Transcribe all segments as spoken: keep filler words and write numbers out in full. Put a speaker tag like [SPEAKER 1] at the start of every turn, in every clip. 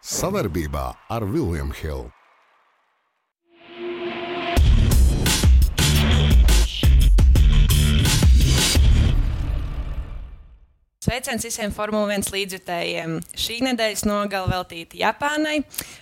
[SPEAKER 1] Savarbībā ar William Hill.
[SPEAKER 2] Sveiciens visiem Formula viens līdzjutējiem. Šī nedēļas nogale veltīta Japānai.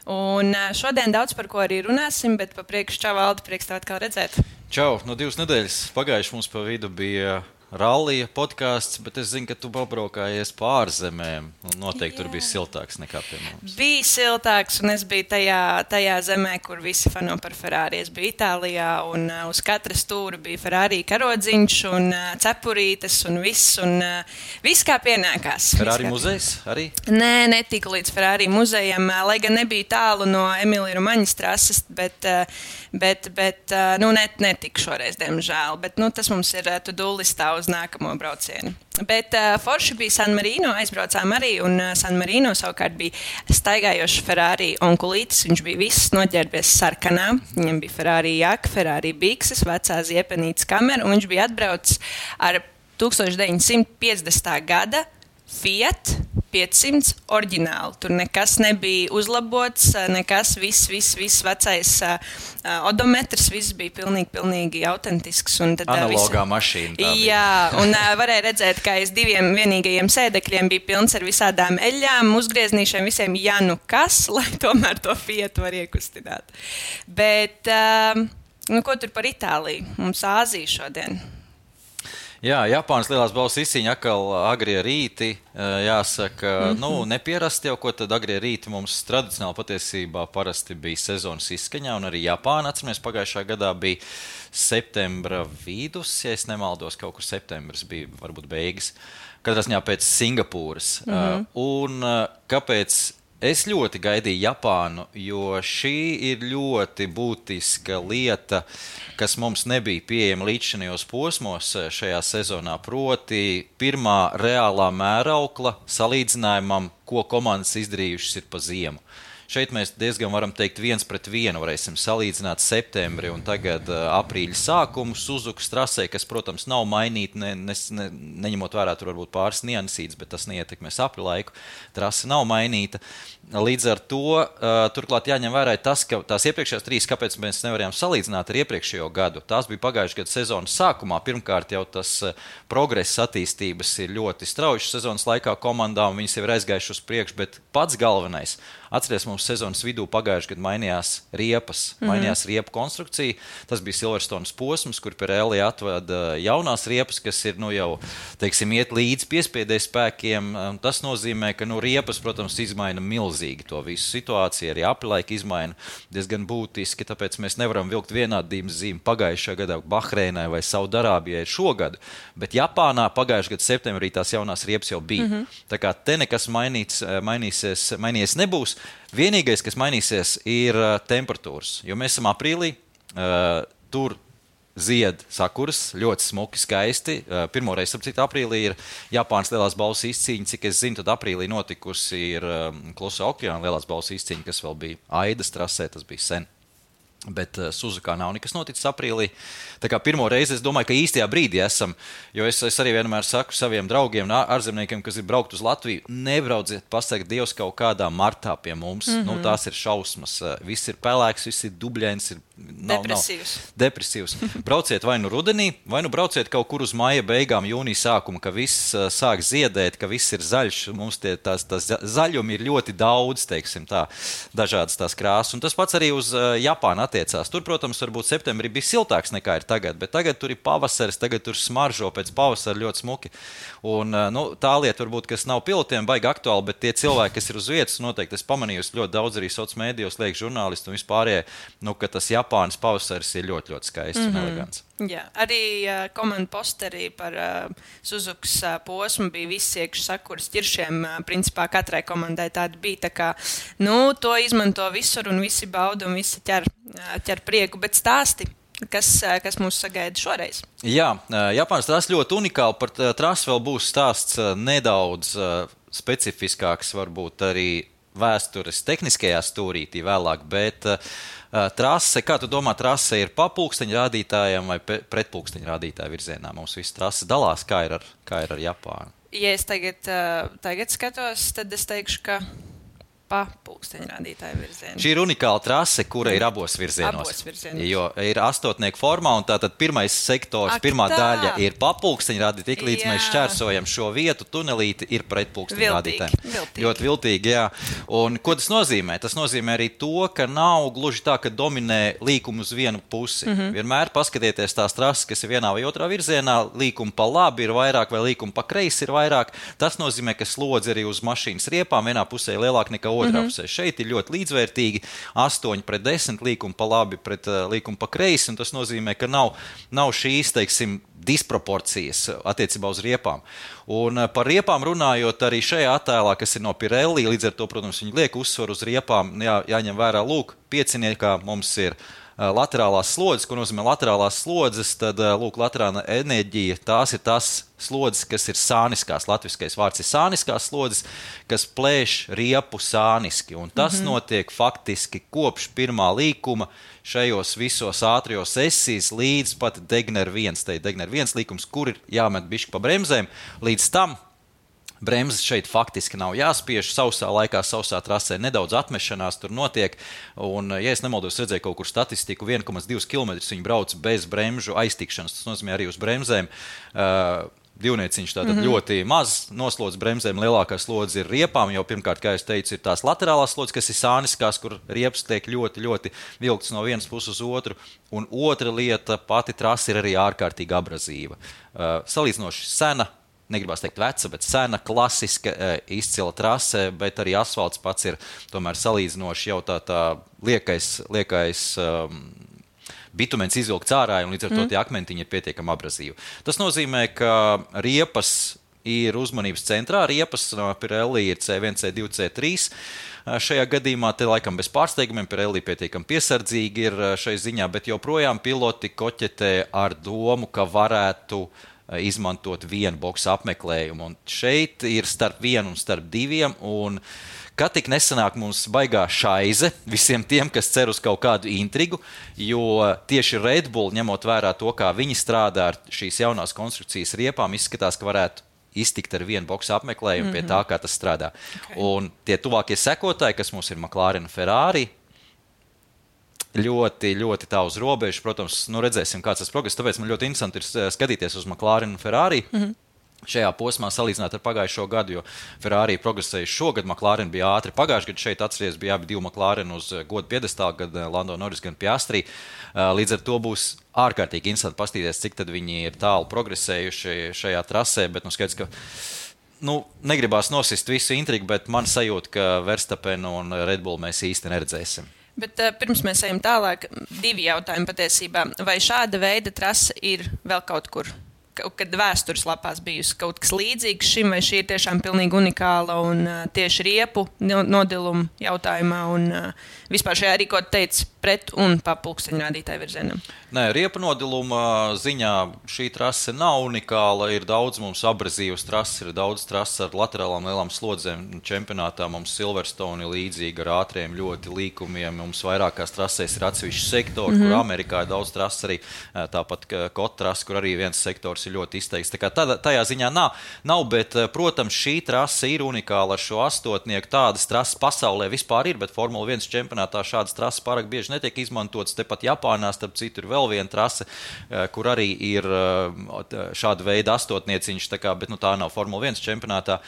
[SPEAKER 2] Un šodien daudz par ko arī runāsim, bet pa priekšu čau, Valdi, prieks tev atkal redzēt.
[SPEAKER 3] Čau, no divas nedēļas pagājuši mums pa vidu bija rallija podcasts, bet es zinu, ka tu pabraukājies pa ārzemēm. Noteikti Jā. Tur bija siltāks nekā pie mums.
[SPEAKER 2] Bija siltāks, un es biju tajā, tajā zemē, kur visi fano par Ferrari. Es biju Itālijā, un uh, uz katra stūra bija Ferrari karodziņš, un uh, cepurītes, un viss, un uh, viss kā pienākās.
[SPEAKER 3] Ferrari muzejs arī?
[SPEAKER 2] Nē, netika līdz Ferrari muzejam, uh, lai gan nebija tālu no Emīlija Romaņas trases, bet, uh, bet, bet uh, nu, net, netika šoreiz, diemžēl. Bet nu, tas mums ir uh, to-do listā uz nākamo braucienu. Bet uh, forši bija San Marino, aizbraucām arī, un uh, San Marino savukārt bija staigājošs Ferrari onkulītis. Viņš bija viss noģērbies sarkanā. Viņam bija Ferrari jaka, Ferrari bikses, vecā ziepenītes kamera, un viņš bija atbraucis ar deviņdesmit deviņi piecdesmitā gada Fiat piecsimts oriģinālu. Tur nekas nebija uzlabots, nekas, viss, viss, viss vecais uh, odometrs, viss bija pilnīgi, pilnīgi autentisks. Un tad,
[SPEAKER 3] Analogā
[SPEAKER 2] visi...
[SPEAKER 3] mašīna.
[SPEAKER 2] Jā, un uh, varēja redzēt, ka aiz diviem vienīgajiem sēdekļiem bija pilns ar visādām eļļām, uzgrieznīšiem, visiem jā, nu kas, lai tomēr to Fiat var iekustināt. Bet, uh, nu ko tur par Itāliju? Mums Āzija šodien.
[SPEAKER 3] Jā, Japānas lielās balvas izcīņa atkal agrie rīti, jāsaka, mm-hmm. nu, nepierasti jau, ko tad agrie rīti mums tradicionāli patiesībā parasti bija sezonas izskaņā, un arī Japāna, atceramies, pagājušā gadā bija septembra vidus, ja es nemaldos, kaut kur septembris bija, varbūt beigas, katrā ziņā pēc Singapūras. Mm-hmm. Un kāpēc? Es ļoti gaidīju Japānu, jo šī ir ļoti būtiska lieta, kas mums nebija pieejama līdzinājos posmos šajā sezonā, proti pirmā reālā mēraukla salīdzinājumam, ko komandas izdarījušas ir pa ziemu. Šeit mēs diezgan varam teikt viens pret vienu varēsim salīdzināt septembri un tagad uh, aprīļa sākumu Suzukas trasē, kas, protams, nav mainīta, ne, ne, ne, neņemot vērā tur varbūt pāris niansītes, bet tas neietekmēs apri laiku. Trase nav mainīta. Līdz ar to, uh, turklāt jāņem vērā tas, ka tās iepriekšējās trīs, kāpēc mēs nevarējām salīdzināt ar iepriekšējo gadu. Tās bija pagājušajā gada sezonas sākumā. Pirmkārt jau tas uh, progress attīstības ir ļoti strauji sezonas laikā komandām, viņas jau ir aizgājuši uz priekšu, bet pats galvenais. Atceries, mums sezonas vidū pagājušajā gadā mainījās riepas, mm-hmm. mainījās riepu konstrukcija. Tas bija Silverstones posms, kur Pirelli atveda jaunās riepas, kas ir, nu, jau, teiksim, iet līdz piespiedēju spēkiem. Tas nozīmē, ka, nu, riepas, protams, izmaina milzīgi to visu situāciju, arī aprilaika izmaina diezgan būtiski, tāpēc mēs nevaram vilkt vienādības zīmi pagājušajā gadā Bahreinai vai Saudarābijai šogad, bet Japānā pagājušajā gadā septembrī tās jaunās riepas jau bija. Mm-hmm. Tā kā te nekas mainīts, mainīsies, mainīsies nebūs. Vienīgais, kas mainīsies, ir uh, temperatūras, jo mēs esam aprīlī, uh, tur zied sakuras, ļoti smuki, skaisti. Uh, pirmoreiz, ap citu, aprīlī ir Japānas lielās balvas izcīņa, cik es zinu, tad aprīlī notikusi ir um, Klusā okeāna lielās balvas izcīņa, kas vēl bija Aidas trasē, tas bija sen. Bet uh, Suzukā nav nekas noticis aprīlī. Tā kā pirmo reizi es domāju, ka īstajā brīdī esam, jo es, es arī vienmēr saku saviem draugiem, ārzemniekiem, kas ir braukt uz Latviju, nebrauciet pasaka Dievs kaut kādā martā pie mums. Mm-hmm. Nu, tās ir šausmas. Viss ir pelēks, viss ir dubļains, ir nav,
[SPEAKER 2] depresīvs.
[SPEAKER 3] Nav, depresīvs. Brauciet vai nu rudenī, vai nu brauciet kaut kur uz maija beigām, jūnija sākuma, ka viss uh, sāk ziedēt, ka viss ir zaļš. Mums tie, tās, tās zaļumi ir ļoti daudz, teiksim tā, dažādas tās krāsas. Un tas pats arī uz uh, Japānu attiecās. Tur, protams, varbūt septembrī bija siltāks nekā ir tagad, bet tagad tur ir pavasaris, tagad tur smaržo pēc pavasara ļoti smuki. Un, nu, tā lieta varbūt, kas nav pilotiem baigi aktuāli, bet tie cilvēki, kas ir uz vietas, noteikti es pamanījusi ļoti daudz arī sociālos mēdījos, liek žurnālisti un vispārējie, nu, ka tas Japānas pavasaris ir ļoti, ļoti skaists mm-hmm. un elegants.
[SPEAKER 2] Jā, arī uh, komandu posterī par uh, Suzukas uh, posmu bija viss iekš sakuras ķiršiem. Uh, principā katrai komandai tāda bija. Tā kā, nu, to izmanto visur un visi bauda un visi ķer, uh, ķer prieku, bet stāsti. Kas, uh, kas mūs sagaida šoreiz?
[SPEAKER 3] Jā, uh, Japānas trasa ļoti unikāla. Par uh, trasu vēl būs stāsts uh, nedaudz uh, specifiskāks, varbūt arī vēstures tehniskajā stūrītī vēlāk, bet uh, trase, kā tu domā, trase ir pa pulksteņa rādītājiem vai pret pulksteņa rādītāju virzienā? Mums viss trase dalās, kā ir ar, kā ir ar Japānu?
[SPEAKER 2] Ja es tagad, uh, tagad skatos, tad es teikšu, ka pa pulksteņrādītāju virzienu.
[SPEAKER 3] Šī ir unikāla trase, kura ir abos virzienos.
[SPEAKER 2] Abos virzienos.
[SPEAKER 3] Jo ir astotnieku formā, un tātad pirmais sektors,
[SPEAKER 2] Ak,
[SPEAKER 3] pirmā
[SPEAKER 2] tā.
[SPEAKER 3] daļa ir pa pulksteņrādītāju, tik līdz
[SPEAKER 2] Jā.
[SPEAKER 3] mēs šķērsojam šo vietu, tunelīti ir pret pulksteņrādītājiem.
[SPEAKER 2] Viltīgi, viltīgi.
[SPEAKER 3] Ļoti viltīgi, jā. Un ko tas nozīmē? Tas nozīmē arī to, ka nav gluži tā, ka dominē līkumu uz vienu pusi. Mm-hmm. Vienmēr paskatieties tās trases, kas ir vienā vai otrā virzienā, līkumu pa labi ir vairāk vai līkumu pa kreisi ir vairāk. Tas nozīmē, ka slodze arī uz mašīnas riepām vienā pusē ir lielāka nekā otrā mm-hmm. pusē. Šeit ir ļoti līdzvērtīgi astoņi pret desmit līkumu pa labi pret uh, līkumu pa kreisi, un tas nozīmē, ka nav, nav šīs, teiksim, disproporcijas attiecībā uz riepām. Un uh, par riepām runājot arī šajā attēlā, kas ir no Pirelli, līdz ar to, protams, viņi liek uzsvaru uz riepām, jā, jāņem vērā, lūk, pieciniekā mums ir laterālās slodzes, ko nozīmē laterālās slodzes, tad, lūk, laterāla enerģija, tās ir tās slodzes, kas ir sāniskās, latviskais vārds ir sāniskās slodzes, kas plēš riepu sāniski, un tas mm-hmm. notiek faktiski kopš pirmā līkuma šajos visos ātrijos esīs līdz pat Degner viens, te ir Degner viens līkums, kur ir jāmet bišķi pa bremzēm, līdz tam bremzes šeit faktiski nav jāspiež, sausā laikā, sausā trasē nedaudz atmešanās tur notiek, un, ja es nemaldos, redzēju kaut kur statistiku, viens komats divi kilometri viņi brauc bez bremžu aiztikšanas, tas nozīmē arī uz bremzēm. Uh, Divnieciņš tātad mm-hmm. ļoti maz noslodz bremzēm, lielākā slodze ir riepām, jo pirmkārt, kā es teicu, ir tās laterālās slodzes, kas ir sāniskās, kur riepas tiek ļoti, ļoti vilktas no vienas puses uz otru, un otra lieta, pati trasa ir arī ārkārtīgi abrazīva. Uh, salīdzinoši sena, negribās teikt veca, bet sena, klasiska, izcila trase, bet arī asfalts pats ir tomēr salīdzinoši jau tā, tā liekais, liekais um, bitumens izvilkts ārā, un līdz ar to tie akmentiņi ir pietiekami abrazīvi. Tas nozīmē, ka riepas ir uzmanības centrā, riepas no Pirelli ir C viens, C divi, C trīs. Šajā gadījumā te laikam bez pārsteigumiem Pirelli pietiekami piesardzīgi ir šai ziņā, bet joprojām piloti koķetē ar domu, ka varētu izmantot vienu boksu apmeklējumu. Un šeit ir starp vienu un starp diviem, un kad tik nesanāk mums baigā šaize visiem tiem, kas cer uz kaut kādu intrigu, jo tieši Red Bull, ņemot vērā to, kā viņi strādā ar šīs jaunās konstrukcijas riepām, izskatās, ka varētu iztikt ar vienu boksu apmeklējumu mm-hmm. pie tā, kā tas strādā. Okay. Un tie tuvākie sekotāji, kas mums ir McLaren, Ferrari, ļoti, ļoti tā uz robežu. Protams, nu redzēsim, kāds tas progress. Tāpēc man ļoti interesanti ir skatīties uz McLaren un Ferrari. Mm-hmm. Šajā posmā salīdzināt ar pagājušo gadu, jo Ferrari progresējuši šogad, McLaren bija ātri. Pagājušajā gadu šeit atceries bija abi divi McLaren uz godu piedestālu, gan Lando Norris, gan Piastri. Līdz ar to būs ārkārtīgi interesanti pastīties, cik tad viņi ir tālu progresējuši šajā trasē, bet nu skaidrs, ka nu, negribās nosist visu intrigu, bet man sajūta, ka Verstappen un Red Bull mēs īsti neredzēsim.
[SPEAKER 2] Bet uh, pirms mēs ejam tālāk, divi jautājumi patiesībā. Vai šāda veida trasa ir vēl kaut kur, kaut kad vēstures lapās bijusi kaut kas līdzīgs šim, vai šī ir tiešām pilnīgi unikāla un uh, tieši riepu nodiluma jautājumā un uh, vispār šajā arī, ko teica, pret un pa pulksteņrādītāju virzienam?
[SPEAKER 3] Nē, riepu nodiluma ziņā šī trase nav unikāla. Ir daudz mums abrazīvas trases, ir daudz trases ar laterālām lielām slodzēm. Čempionātā mums Silverstone ir līdzīga ar ātriem ļoti līkumiem. Mums vairākās trasēs ir atsevišķi sektori, mm-hmm. kur Amerikā ir daudz trases arī. Tāpat Kota trase, kur arī viens sektors ir ļoti izteikts. Tā kā tādā, tajā ziņā nav, nav, bet, protams, šī trase ir unikāla ar šo astotnieku. Tādas trases pasaulē vispār ir, bet Formula viens čempionātā šādas trases pārāk bieži netiek izmantotas. Tepat Japānā, starp citu, ir vēl viena trase, kur arī ir šāda veida astotnieciņš, tā kā, bet nu, tā nav Formula viens čempionātā.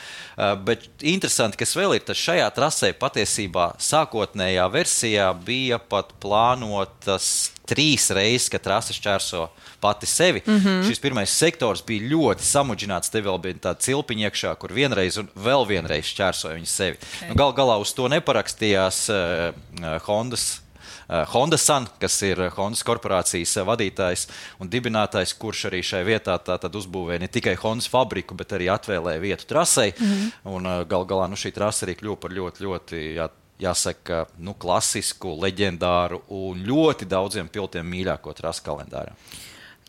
[SPEAKER 3] Bet interesanti, kas vēl ir, tas šajā trasē patiesībā sākotnējā versijā bija pat plānotas trīs reizes, ka trase šķērso pati sevi. Mm-hmm. Šis pirmais sektors bija ļoti samudžināts, te vēl bija tāda cilpiņa iekšā, kur vienreiz un vēl vienreiz šķērsoja viņu sevi. Okay. Nu, gal galā uz to neparakstījās uh, Hondas Uh, Honda San, kas ir Hondas korporācijas vadītājs un dibinātājs, kurš arī šai vietā tātad uzbūvēja ne tikai Hondas fabriku, bet arī atvēlēja vietu trasei. Mm-hmm. Un uh, gal galā nu, šī trasa arī kļuva par ļoti, ļoti, jā, jāsaka, nu, klasisku, leģendāru un ļoti daudziem pilotiem mīļāko trasu kalendārā.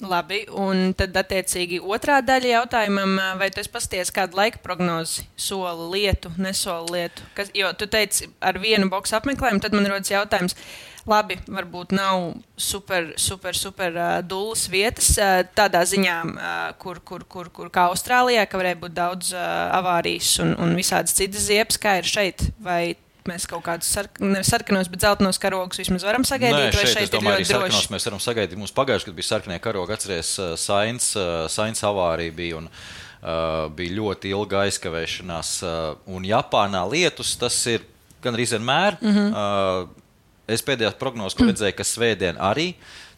[SPEAKER 2] Labi, un tad attiecīgi otrā daļa jautājumam, vai tu esi pasties kādu laika prognozi, soli lietu, nesoli lietu? Kas, jo tu teici ar vienu boksu apmeklējumu, tad man rodas jautājums, labi, varbūt nav super, super, super uh, dullas vietas uh, tādā ziņā, uh, kur, kur, kur, kur kā Austrālijā, ka varēja būt daudz uh, avārijas un, un visādas citas ziepes, kā ir šeit, vai mēs kaut kādus sark, nevis sarkanos, bet zeltainos karogus vismaz varam sagaidīt?
[SPEAKER 3] Nē, šeit,
[SPEAKER 2] šeit
[SPEAKER 3] es domāju, arī sarkanos
[SPEAKER 2] droši?
[SPEAKER 3] mēs varam sagaidīt. Mums pagājuši, kad bija sarkanie karogi, atceries, Sainz, Sainz avārija bija un uh, bija ļoti ilga aizkavēšanās. Uh, un Japānā lietus tas ir gan arī vienmēr. Mm-hmm. Uh, es pēdējā prognozē, ko redzēju, ka svētdien arī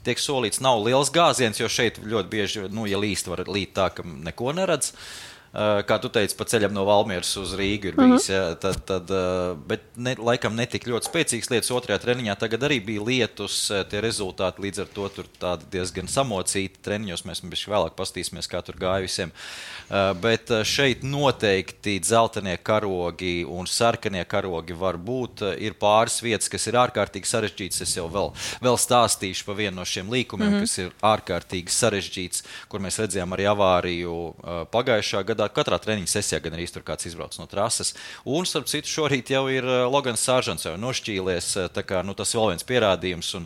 [SPEAKER 3] tiek solīts, nav liels gāziens, jo šeit ļoti bieži, nu, ja līst, var līt tā, ka neko neredz. Uh, kā tu teici, pa ceļam no Valmieras uz Rīgu ir bijis, uh-huh. ja, tad, tad, uh, bet ne, laikam netika ļoti spēcīgs lietus. Otrajā treniņā tagad arī bija lietus, tie rezultāti līdz ar to tur tādi diezgan samocīti treniņos. Mēs bišķi vēlāk pastīsimies, kā tur gāja visiem. Uh, bet šeit noteikti dzeltenie karogi un sarkanie karogi var būt. Ir pāris vietas, kas ir ārkārtīgi sarežģītas. Es jau vēl, vēl stāstīšu pa vienu no šiem līkumiem, uh-huh. kas ir ārkārtīgi sarežģīts, kur mēs redzējām arī avāriju uh, pagājušā gadā. Katrā treniņa sesijā gan arī tur kāds izbrauc no trases. Un, starp citu, šorīt jau ir Logans Sāržants jau nošķīlies, tā kā, nu, tas vēl viens pierādījums. Un,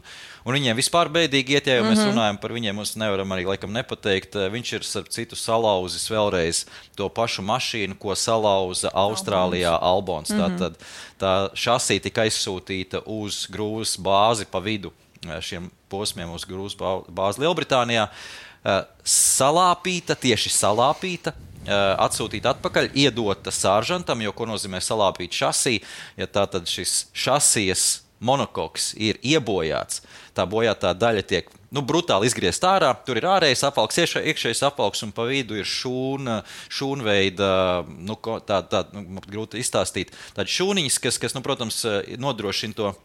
[SPEAKER 3] un viņiem vispār bēdīgi iet, ja jau mm-hmm. mēs runājam par viņiem, mums nevaram arī laikam nepateikt. Viņš ir, starp citu, salauzis vēlreiz to pašu mašīnu, ko salauza Austrālijā Albons. Mm-hmm. Tātad tā šasī tika aizsūtīta uz grūvas bāzi pa vidu šiem posmiem uz grūvas bāzi Lielbritānijā. Salāpīta, tieši salāpīta. Atsūtīt atpakaļ, iedota sāržantam, jo ko nozīmē salāpīt šasī, ja tā tad šis šasijas monokoks ir iebojāts, tā bojātā daļa tiek, nu, brutāli izgriezt ārā, tur ir ārējais apvalks, iekšējais apvalks un pa vidu ir šūna, šūnveida, nu, tā, tā, nu, grūti izstāstīt, tādi šūniņas, kas, kas, nu, protams, nodrošina to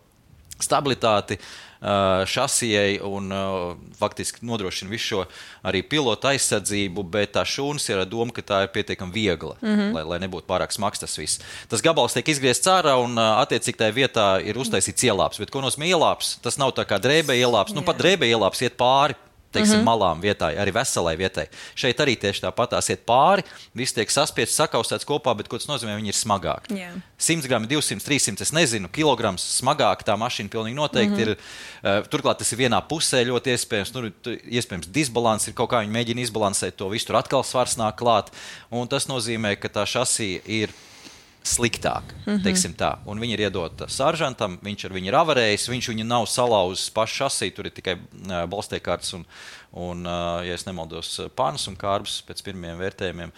[SPEAKER 3] stabilitāti uh, šasijai un uh, faktiski nodrošina visu šo arī pilota aizsardzību, bet tā šūnas ir doma, ka tā ir pietiekami viegla, mm-hmm. lai, lai nebūtu pārāk smags tas viss. Tas gabals tiek izgriezts ārā un uh, attiecīgi tajā vietā ir uztaisīts ielāps, bet ko nozīmē ielāps? Tas nav tā kā drēbē ielāps, nu pat drēbē ielāps iet pāri. Teiksim, mm-hmm. malām vietai, arī veselai vietai. Šeit arī tieši tāpatās iet pāri, viss tiek saspiests, sakaustēts kopā, bet ko tas nozīmē, viņi ir smagāki. Yeah. simts grami, divsimt, trīssimt, es nezinu, kilograms smagāk tā mašīna pilnīgi noteikti mm-hmm. ir. Uh, turklāt tas ir vienā pusē ļoti iespējams, nu, iespējams disbalans ir, kaut kā viņi mēģina izbalansēt to visu, tur atkal svars nāk klāt, un tas nozīmē, ka tā šasija ir sliktāk, mm-hmm. teiksim tā. Un viņi ir iedota sāržantam, viņš ar viņu ir avarējis, viņš viņu nav salauzis pašu šasī, tur ir tikai uh, balstiekārtas un, un uh, ja es nemaldos, pānas un kārbs pēc pirmiem vērtējumiem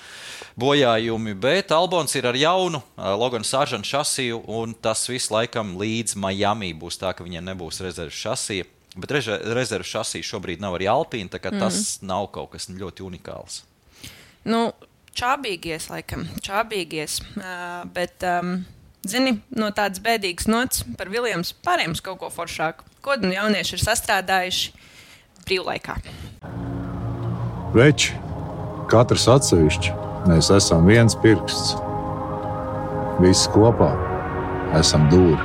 [SPEAKER 3] bojājumi, bet Albons ir ar jaunu uh, Logan Sāržantu šasiju, un tas viss laikam līdz Miami būs tā, ka viņiem nebūs rezerves šasija, bet reze, rezerves šasija šobrīd nav arī Alpīna, tā kā mm-hmm. tas nav kaut kas ļoti unikāls.
[SPEAKER 2] Nu, čābīgies, laikam, čābīgies, uh, bet, um, zini, no tādas bēdīgas nots par Viljams pārējums kaut ko foršāku. Ko nu jaunieši ir sastrādājuši brīvlaikā?
[SPEAKER 4] Veči, katrs atsevišķi, mēs esam viens pirksts. Visi kopā esam dūri.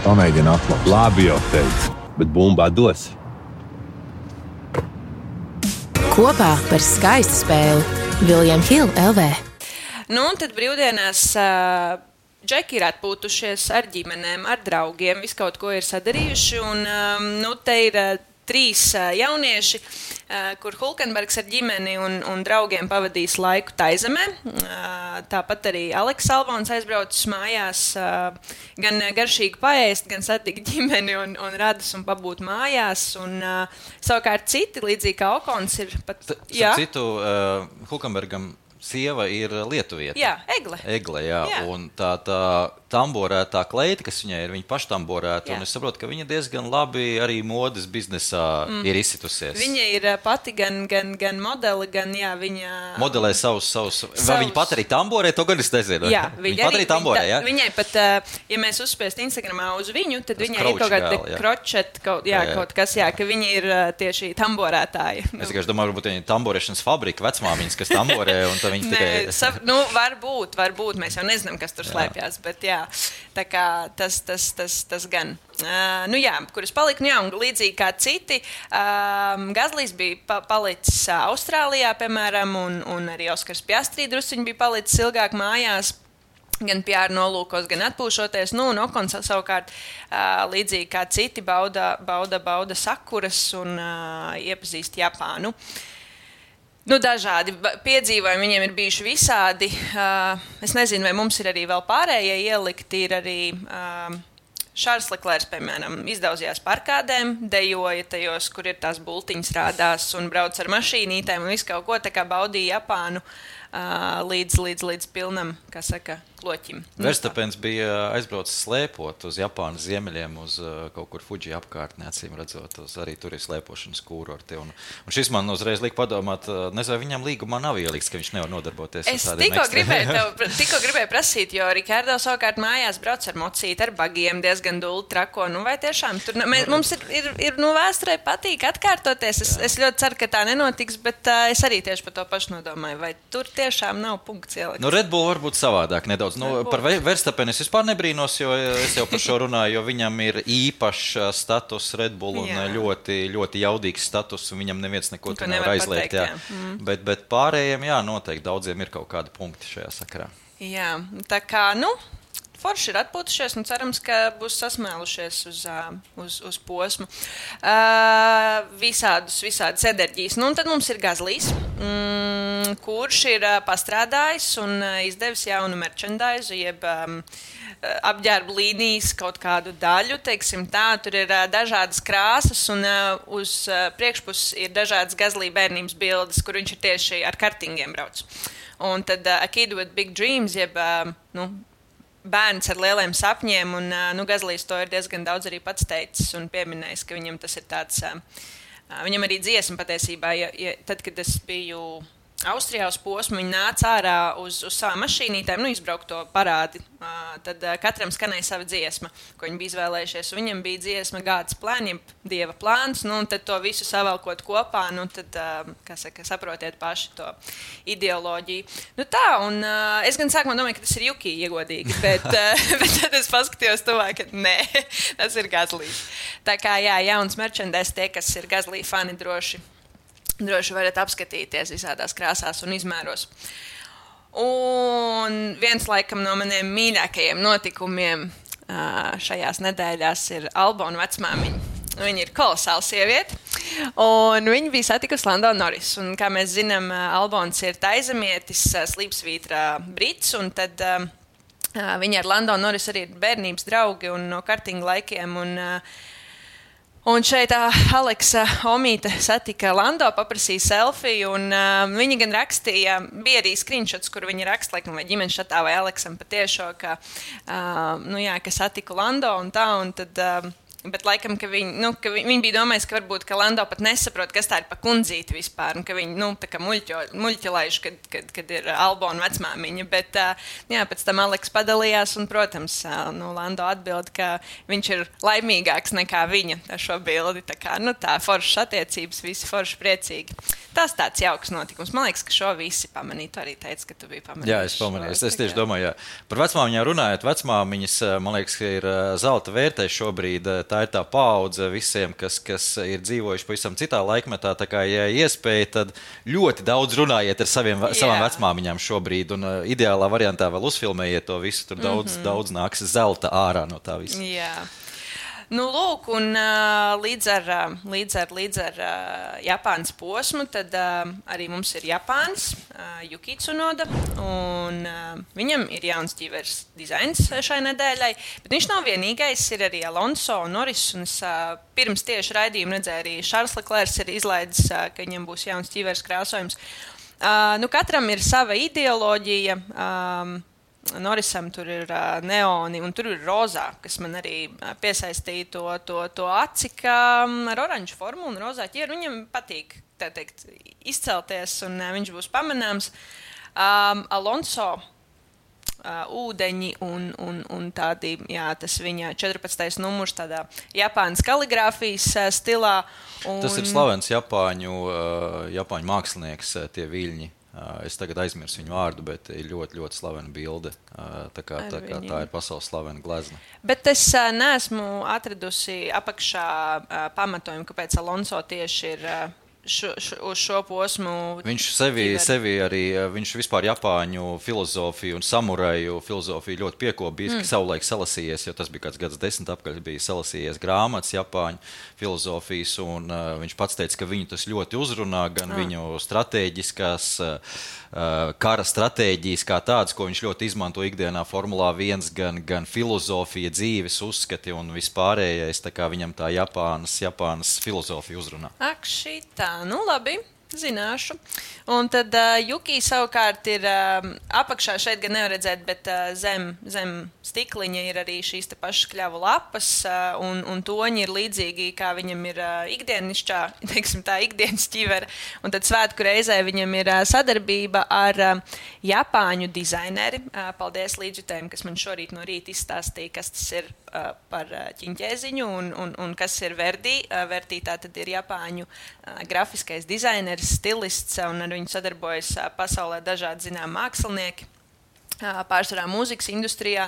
[SPEAKER 4] Pamēģina atklāt.
[SPEAKER 5] Labi jau teicu, bet bumbā dos.
[SPEAKER 6] Kopā par skaistu spēli. William Hill L V.
[SPEAKER 2] Nu, un tad brīvdienās uh, džeki ir atpūtušies ar ģimenēm, ar draugiem, visu kaut ko ir sadarījuši, un um, nu, te ir uh, trīs uh, jaunieši, uh, kur Hulkenbergs ar ģimeni un, un draugiem pavadīs laiku Taizemē. Uh, tāpat arī Aleks Albons aizbraucis mājās, uh, gan garšīgi paēst, gan satikt ģimeni un, un radus un pabūt mājās. Un, uh, savukārt citi, līdzīgi kā Okons, ir pat...
[SPEAKER 3] T- jā? Citu, uh, Hulkenbergam sieva ir lietuvieta.
[SPEAKER 2] Jā, Egle.
[SPEAKER 3] Egle, jā. jā. Un tā, tā tamborētā kleita, kas viņai ir, viņa paštamborēta, un es saprotu, ka viņa diezgan labi arī modes biznesā mm. ir izsitusies.
[SPEAKER 2] Viņa ir pati gan, gan, gan modeli, gan, jā, viņa...
[SPEAKER 3] Modelē savus, savus...
[SPEAKER 2] savus...
[SPEAKER 3] Vai viņa pat arī tamborē, to gan es nezinu.
[SPEAKER 2] Jā,
[SPEAKER 3] viņa, viņa pat arī tamborē, jā?
[SPEAKER 2] Viņai pat, ja mēs uzspiest Instagramā uz viņu, tad viņai ir kaut kāda kročet, kaut, jā, jā, jā. kaut kas, jā, ka viņa ir tieši tamborētāja.
[SPEAKER 3] Es tikai domāju, varbūt viņa ir tamborēšanas fabrika, vecmāmiņas, kas tamborē, un tad viņa tikai...
[SPEAKER 2] Nē, sav, nu, varbūt, varbūt, mēs jau nezinām, kas tur slēpjās, bet jā. Tā kā tas, tas, tas, tas gan. Uh, nu jā, kuras palika, nu jā, un līdzīgi kā citi, um, Gazlijs bija pa, palicis uh, Austrālijā, piemēram, un, un arī Oskars Piastri drusciņi bija palicis ilgāk mājās, gan P R nolūkos, gan atpūšoties, nu, un Okons savukārt uh, līdzīgi kā citi bauda, bauda, bauda sakuras un uh, iepazīst Japānu. Nu, dažādi piedzīvojumi viņiem ir bijuši visādi. Uh, es nezinu, vai mums ir arī vēl pārējie ielikti. Ir arī uh, Šārls Leklērs, piemēram, izdaudzījās parkādēm, dejoja tajos, kur ir tās bultiņas rādās un brauc ar mašīnītēm un visu kaut ko, tā kā baudīja Japānu uh, līdz, līdz, līdz pilnam, kā saka, kloķim.
[SPEAKER 3] Verstapens bija aizbraucis slēpot uz Japānas ziemeļiem, uz uh, kaut kur Fuji apkārtnē, acīm redzot, uz arī tur ir slēpošanas kūrorti. Un, un šis man uzreiz lika padomāt, uh, nezinu, vai viņam līgumā nav ieliks, ka viņš nevar nodarboties
[SPEAKER 2] es
[SPEAKER 3] ar tādiem
[SPEAKER 2] tikko
[SPEAKER 3] ekstra.
[SPEAKER 2] gribēju, tev, tikko gribēju prasīt, jo Rikārdo savukārt mājās brauc ar mocīti, ar bagiem, diezgan dulli trako. Nu, vai tiešām tur, mē, mums ir, ir, ir nu, vēsturē patīk atkārtoties. Es, es ļoti ceru, ka tā nenotiks, bet uh, es arī tieši par to pašu nodomāju. Vai tur tiešām nav punkts ielikts?
[SPEAKER 3] Nu, Red Bull varbūt savādāk nedaudz. Nu, par Verstapeni es vispār nebrīnos, jo es jau par šo runāju, jo viņam ir īpašs status Red Bull un jā. ļoti, ļoti jaudīgs status, un viņam neviens neko tur nevar aizliegt.
[SPEAKER 2] Pateikt,
[SPEAKER 3] jā.
[SPEAKER 2] Jā. Mm.
[SPEAKER 3] Bet, bet pārējiem, jā, noteikti daudziem ir kaut kādi punkti šajā sakarā.
[SPEAKER 2] Jā, tā kā, nu, forši ir atpūtušies un cerams, ka būs sasmēlušies uz, uz, uz posmu. Uh, visādus, visādas enerģijas. Nu, un tad mums ir Gazlijs, mm, kurš ir uh, pastrādājis un uh, izdevis jaunu merchandise, jeb um, apģērbu līnijas kaut kādu daļu, teiksim tā. Tur ir uh, dažādas krāsas un uh, uz uh, priekšpuses ir dažādas Gazlī bērnības bildes, kur viņš ir tieši ar kartingiem brauc. Un tad uh, A Kid with Big Dreams, jeb, uh, nu, bērns ar lieliem sapņiem, un nu, Gazlijs to ir diezgan daudz arī pats teicis un pieminējis, ka viņam tas ir tāds, viņam arī dziesma patiesībā, ja, ja, tad, kad es biju Austrijā uz posmu, viņi nāca ārā uz, uz savām mašīnītēm, nu, izbraukt to parādi, tad katram skanēja sava dziesma, ko viņi bija izvēlējušies. Viņam bija dziesma God's Plan, jeb Dieva plāns, nu, un tad to visu savalkot kopā, nu, tad, kā saka, saprotiet paši to ideoloģiju. Nu tā, un es gan sākumā domāju, ka tas ir Juki iegodīgi, bet, bet tad es paskatījos tuvāk, ka nē, tas ir Gazlijs. Tā kā, jā, jauns merchandise, tie, kas ir Gazlī fani, droši. Droši varat apskatīties visādās krāsās un izmēros. Un viens laikam no maniem mīļākajiem notikumiem šajās nedēļās ir Albona vecmāmiņa. Viņa ir kolosāla sieviete, un viņa bija satikusi Lando Norris. Un, kā mēs zinām, Albons ir taizemietis, slīpsvītra brits, un tad uh, viņa ar Lando Norris arī ir bērnības draugi un no kartinga laikiem. Un, uh, Un šeit uh, Aleksa Omīte satika Lando, paprasīja selfiju, un uh, viņa gan rakstīja, bija arī screenshots, kur viņa raksta, laikam, vai ģimenes šatā, vai Aleksam patiešo, ka, uh, nu jā, ka satiku Lando un tā, un tad... Uh, Bet laikam, ka viņi, nu, ka viņi bija domājis, ka varbūt ka Lando pat nesaprot, kas tā ir pa kundzīti vispār, un ka viņi, nu, tā kā muļķo, muļķilaiši, kad, kad, kad ir Albona vecmāmiņa, bet, jā, pēc tam Aleks padalījās, un, protams, nu, Lando atbild, ka viņš ir laimīgāks nekā viņa ar šo bildi, tā kā, nu, tā foršas attiecības, visi forši priecīgi. Tas tāds jauks notikums. Man liekas, ka šo visi pamanīja, tu arī teici, ka tu biji pamanījis.
[SPEAKER 3] Jā, es pamanīju, es, es tieši domāju, jā. Par vecmāmiņām runājot, vecmāmiņas, man liekas, ka ir zelta vērtē šobrīd. Tā ir tā paudze visiem, kas, kas ir dzīvojuši pavisam citā laikmetā. Tā kā, ja iespēja, tad ļoti daudz runājiet ar saviem, savām vecmāmiņām šobrīd. Un uh, ideālā variantā vēl uzfilmējiet to visu. Tur daudz, mm-hmm. daudz nāks zelta ārā no tā visa.
[SPEAKER 2] Jā. Nu, lūk, un uh, līdz ar, līdz ar, līdz ar uh, Japānas posmu, tad uh, arī mums ir Japāns, uh, Yuki Tsunoda, un uh, viņam ir jauns ķīveres dizains šai nedēļai, bet viņš nav vienīgais, ir arī Alonso un Norris, un es uh, pirms tieši raidījumu redzēju arī Šārls Leklērs ir izlaidis, uh, ka viņam būs jauns ķīveres krāsojums. Uh, nu, katram ir sava ideoloģija, um, Norrisam tur ir uh, neoni un tur ir rozā, kas man arī uh, piesaistīja to, to, to aci, kā um, ar oranžu formu un rozā ķieru. Viņam patīk, tā teikt, izcelties un uh, viņš būs pamanāms. Um, Alonso uh, ūdeņi un, un, un tādi, jā, tas viņa četrpadsmitais numurs tādā Japānas kaligrāfijas uh, stilā. Un...
[SPEAKER 3] Tas ir slavens Japāņu, uh, Japāņu mākslinieks, uh, tie viļņi. Es tagad aizmirsu viņu vārdu, bet ir ļoti, ļoti slavena bilde. Tā kā, tā, kā tā ir pasaules slavena glezna.
[SPEAKER 2] Bet es uh, neesmu atradusi apakšā uh, pamatojumu, kāpēc Alonso tieši ir uh, šo, šo, uz šo posmu.
[SPEAKER 3] Viņš sevi, sevi arī, viņš vispār Japāņu filozofiju un samuraju filozofiju ļoti piekopījis, mm. ka savulaik salasījies, jo tas bija kāds gads desmit apkaļ, bija salasījies grāmatas Japāņu filozofijas, un uh, viņš pats teica, ka viņu tas ļoti uzrunā, gan ah. viņu stratēģiskās, uh, kara stratēģijas kā tādas, ko viņš ļoti izmanto ikdienā Formulā viens, gan, gan filozofija, dzīves uzskati un vispārējais, tā kā viņam tā Japānas, Japānas filozofija uzrunā.
[SPEAKER 2] Ak, šitā. Nu, labi, zināšu. Un tad uh, Juki savukārt ir uh, apakšā, šeit gan nevar redzēt, bet uh, zem, zem stikliņa ir arī šīs te pašas kļavu lapas, uh, un, un toņi ir līdzīgi, kā viņam ir uh, ikdienišķā, teiksim tā, ikdienas ķivera. Un tad svētku reizē viņam ir uh, sadarbība ar uh, Japāņu dizaineri. Uh, paldies Līdžutēm, kas man šorīt no rīta izstāstīja, kas tas ir uh, par uh, ķiņķēziņu un, un, un kas ir Verdi. Uh, Verdi tā tad ir Japāņu uh, grafiskais dizaineris, stilists, un ar viņu sadarbojas uh, pasaulē dažādi zinām mākslinieki. Pārsvarā mūzikas industrijā.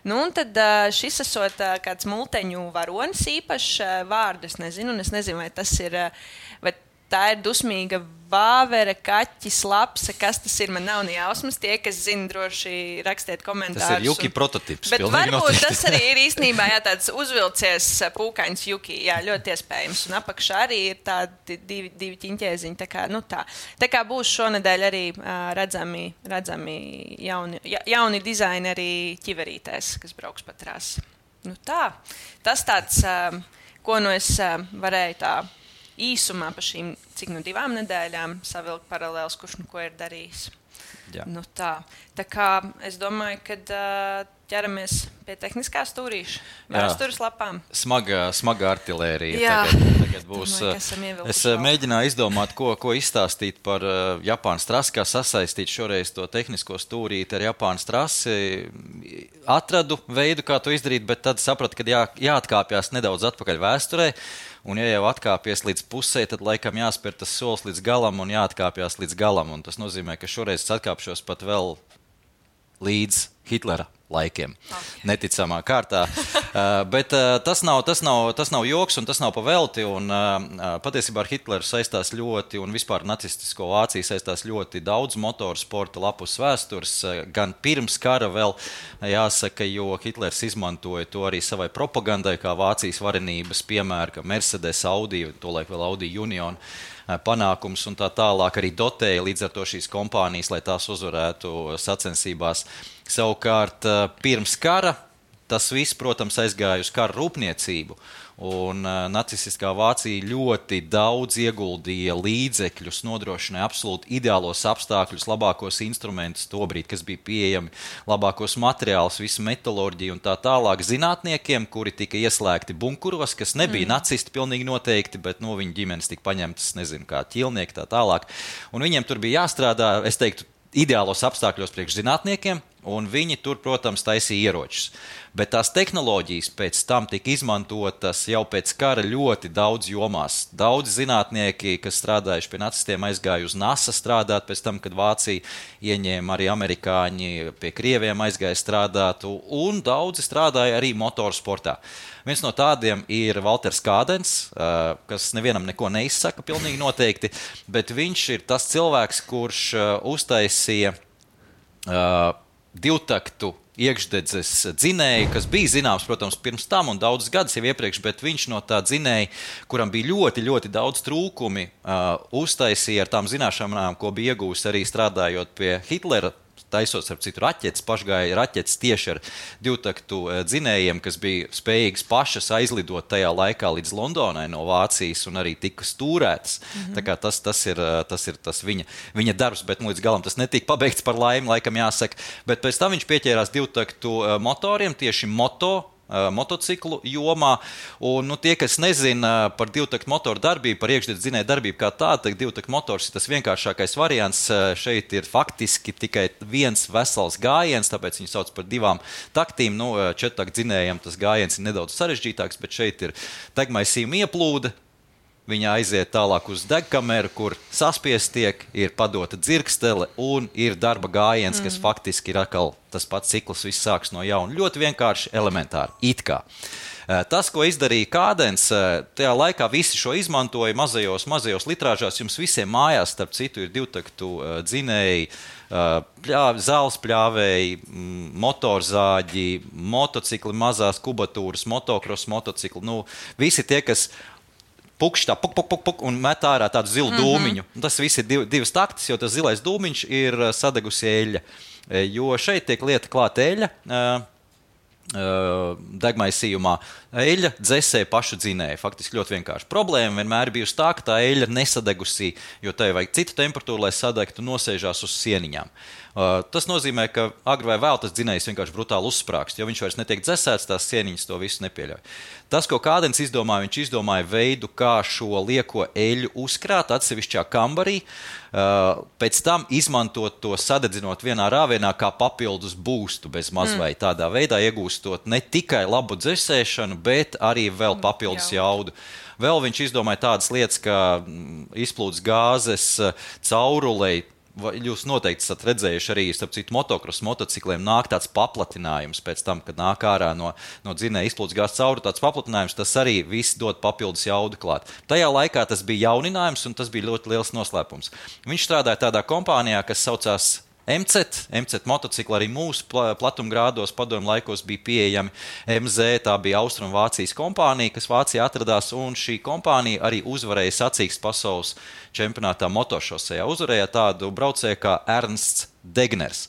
[SPEAKER 2] Nu, un tad šis esot kāds multeņu varonis īpašs vārdu, es nezinu, un es nezinu, vai tas ir, vai tā ir dusmīga vāvera, kaķis, lapsa, kas tas ir, man nav ne jausmas. Tie, kas zina, droši rakstiet komentārus.
[SPEAKER 3] Tas ir Juki un... prototips.
[SPEAKER 2] Bet varbūt noteikti. Tas arī ir īstenībā jā, tāds uzvilcies pūkains Juki, jā, ļoti iespējams. Un apakšā arī ir tādi divi, divi ķiņķēziņi. Tā kā, nu tā. Tā kā būs šonedēļ arī uh, redzami, redzami jauni, ja, jauni dizaineri ķiverītēs, kas brauks pa trasi. Nu tā. Tas tāds, uh, ko nu es uh, varēju tā īsumā pa šīm, cik nu divām nedēļām savilkt paralēls, kurš nu ko ir darījis.
[SPEAKER 3] Jā.
[SPEAKER 2] Nu tā. Tā kā es domāju, kad uh, ķeramies pie tehniskā stūrīša, vēstures lapām.
[SPEAKER 3] Smaga, smaga artilērija
[SPEAKER 2] Jā.
[SPEAKER 3] tagad, tagad būs.
[SPEAKER 2] Domāju,
[SPEAKER 3] es mēģināju izdomāt, ko, ko izstāstīt par uh, Japānas trasi, kā sasaistīt šoreiz to tehnisko stūrīti ar Japānas trasi. Atradu veidu, kā to izdarīt, bet tad sapratu, ka jā, jāatkāpjās nedaudz atpakaļ vēsturē. Un, ja jau atkāpies līdz pusē, tad laikam jāspēr tas solis līdz galam un jāatkāpjās līdz galam. Un tas nozīmē, ka šoreiz es atkāpšos pat vēl līdz Hitlera laikiem. Okay. Neticamā kārtā. uh, bet uh, tas, nav, tas, nav, tas nav joks un tas nav pavelti. Un, uh, patiesībā ar Hitleru saistās ļoti, un vispār nacistisko Vāciju saistās ļoti daudz motorsporta lapus vēstures. Uh, gan pirms kara vēl jāsaka, jo Hitlers izmantoja to arī savai propagandai, kā Vācijas varenības piemēra, ka Mercedes, Audi, tolaik vēl Audi Union, panākums un tā tālāk arī dotēja līdz ar to šīs kompānijas, lai tās uzvarētu sacensībās. Savukārt pirms kara tas viss, protams, aizgāja uz kara rūpniecību. Un uh, nacistiskā Vācija ļoti daudz ieguldīja līdzekļus, nodrošināja absolūti ideālos apstākļus, labākos instrumentus tobrīd, kas bija pieejami, labākos materiālus, visu metaloģiju un tā tālāk zinātniekiem, kuri tika ieslēgti bunkuros, kas nebija mm. nacisti pilnīgi noteikti, bet no viņu ģimenes tika paņemtas, nezinu, kā ķilnieki tā tālāk. Un viņiem tur bija jāstrādā, es teiktu, ideālos apstākļos priekš zinātniekiem, un viņi tur, protams, taisīja ieročus. Bet tās tehnoloģijas pēc tam tika izmantotas jau pēc kara ļoti daudz jomās. Daudz zinātnieki, kas strādājuši pie nacistiem, aizgāja uz NASA strādāt pēc tam, kad Vācija ieņēma, arī amerikāņi pie krieviem aizgāja strādāt, un daudzi strādāja arī motorsportā. Viens no tādiem ir Valters Kādens, kas nevienam neko neizsaka pilnīgi noteikti, bet viņš ir tas cilvēks, kurš uztaisīja uh, divtaktu iekšdedzes dzinēju, kas bija zināms, protams, pirms tam un daudzus gadus jau iepriekš, bet viņš no tā dzinēja, kuram bija ļoti, ļoti daudz trūkumi, uh, uztaisīja ar tām zināšanām, ko bija iegūst arī strādājot pie Hitlera, taisot ar citu raķetes, pašgāja raķetes tieši ar divtaktu dzinējiem, kas bija spējīgas pašas aizlidot tajā laikā līdz Londonai no Vācijas un arī tika stūrētas. Mm-hmm. Tā kā tas, tas ir, tas ir tas viņa, viņa darbs, bet nu, līdz galam tas netika pabeigts par laimi, laikam jāsaka. Bet pēc tam viņš pieķērās divtaktu motoriem, tieši moto, motociklu jomā. Un, nu, tie, kas nezina par divtaktu motoru darbību, par iekšdedzes dzinēju darbību kā tādu, tad divtaktu motors ir tas vienkāršākais variants. Šeit ir faktiski tikai viens vesels gājiens, tāpēc viņu sauc par divām taktīm. Nu, četrtaktu dzinējam tas gājiens ir nedaudz sarežģītāks, bet šeit ir degmaisījuma ieplūde. Viņa aiziet tālāk uz degkameru, kur saspiest tiek, ir padota dzirkstele un ir darba gājiens, kas mm. faktiski ir atkal tas pats cikls, viss sāks no jauna. Ļoti vienkārši, elementāri, it kā. Tas, ko izdarīja Kādens, tajā laikā visi šo izmantoja mazajos, mazajos litrāžās. Jums visiem mājās, starp citu, ir divtaktu dzinēji, pļāvi, zāles pļāvēji, motorzāģi, motocikli, mazās kubatūras, motokros motocikli. Nu, visi tie, kas pukšķi tā, puk, puk, puk, puk, un met ārā tādu zilu mm-hmm. dūmiņu. Tas viss ir div, divas taktis, jo tas zilais dūmiņš ir sadegusi eļļa. Jo šeit tiek lieta klāt eļļa. Degmaisījumā eļļa dzesē pašu dzinēju. Faktiski ļoti vienkārši. Problēma vienmēr ir bijusi tā, ka tā eļļa nesadegusī, jo tai vajag citu temperatūru, lai sadegtu, nosēžās uz sieniņām. Uh, tas nozīmē, ka agri vai vēl tas dzinējs vienkārši brutāli uzsprāgst, jo viņš vairs netiek dzesēts, tās sieniņas to visu nepieļauj. Tas, ko Kādens izdomāja, viņš izdomāja veidu, kā šo lieko eļļu uzkrāt atsevišķā kambarī, uh, pēc tam izmantot to sadedzinot vienā rāvienā kā papildus būstu bez mazvai. Mm. Tādā veidā iegūstot ne tikai labu dzesēšanu, bet arī vēl papildus jaudu. Vēl viņš izdomāja tādas lietas, kā izplūdes gāzes caurulei. Jūs noteikti esat redzējuši arī, starp citu, motokros motocikliem nāk tāds paplatinājums pēc tam, kad nāk ārā no, no dzinēja izplūdes gāzes cauru tāds paplatinājums, tas arī viss dod papildus jaudu klāt. Tajā laikā tas bija jauninājums un tas bija ļoti liels noslēpums. Viņš strādāja tādā kompānijā, kas saucās M C T, M C T motocikli arī mūsu platumgrādos padomju laikos bija pieejami. M Z, tā bija Austrumvācijas kompānija, kas Vācijā atradās, un šī kompānija arī uzvarēja sacīkst pasaules čempionātā motošosejā. Uzvarēja tādu braucēju kā Ernsts Degners.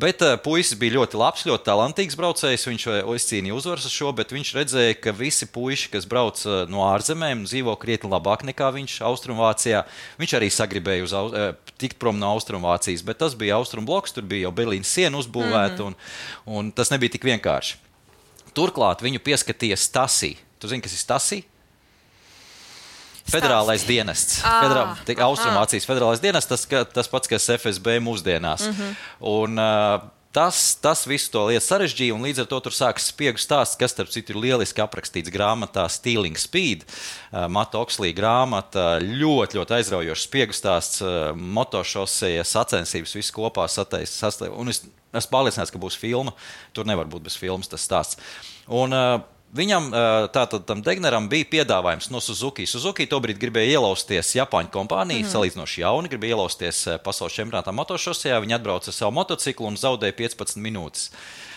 [SPEAKER 3] Bet uh, puisis bija ļoti labs, ļoti talantīgs braucējs, viņš izcīnīja uzvaras uz šo, bet viņš redzēja, ka visi puiši, kas brauc uh, no ārzemēm, dzīvo krietni labāk nekā viņš Austrumvācijā. Viņš arī sagribēja uz, uh, tikt prom no Austrumvācijas, bet tas bija Austrumbloks, tur bija jau Berlīnas siena uzbūvēta, mm-hmm. un, un tas nebija tik vienkārši. Turklāt viņu pieskatīja Stasi. Tu zini, kas ir Stasi? Federālais dienests. Ah, Federā, Austrumvācijas federālais dienests, tas, tas pats, kas F S B mūsdienās. Mm-hmm. Un uh, tas, tas visu to lietu sarežģīja, un līdz ar to tur sākas spiegu stāsts, kas, starp citu, ir lieliski aprakstīts grāmatā Stealing Speed. Uh, Mata Okslī grāmata, ļoti, ļoti aizraujošs spiegu stāsts, uh, motošoseja sacensības, visu kopā satais, sastāv. Un es esmu pārliecināts, ka būs filma. Tur nevar būt bez filmas tas stāsts. Un uh, Viņam, tātad tam Degneram, bija piedāvājums no Suzuki. Suzuki tobrīd gribēja ielausties Japāņu kompāniju, mm. salīdzinoši jauni, gribēja ielausties pasaules čempionātā motošosejā. Viņi atbrauca ar savu motociklu un zaudēja piecpadsmit minūtes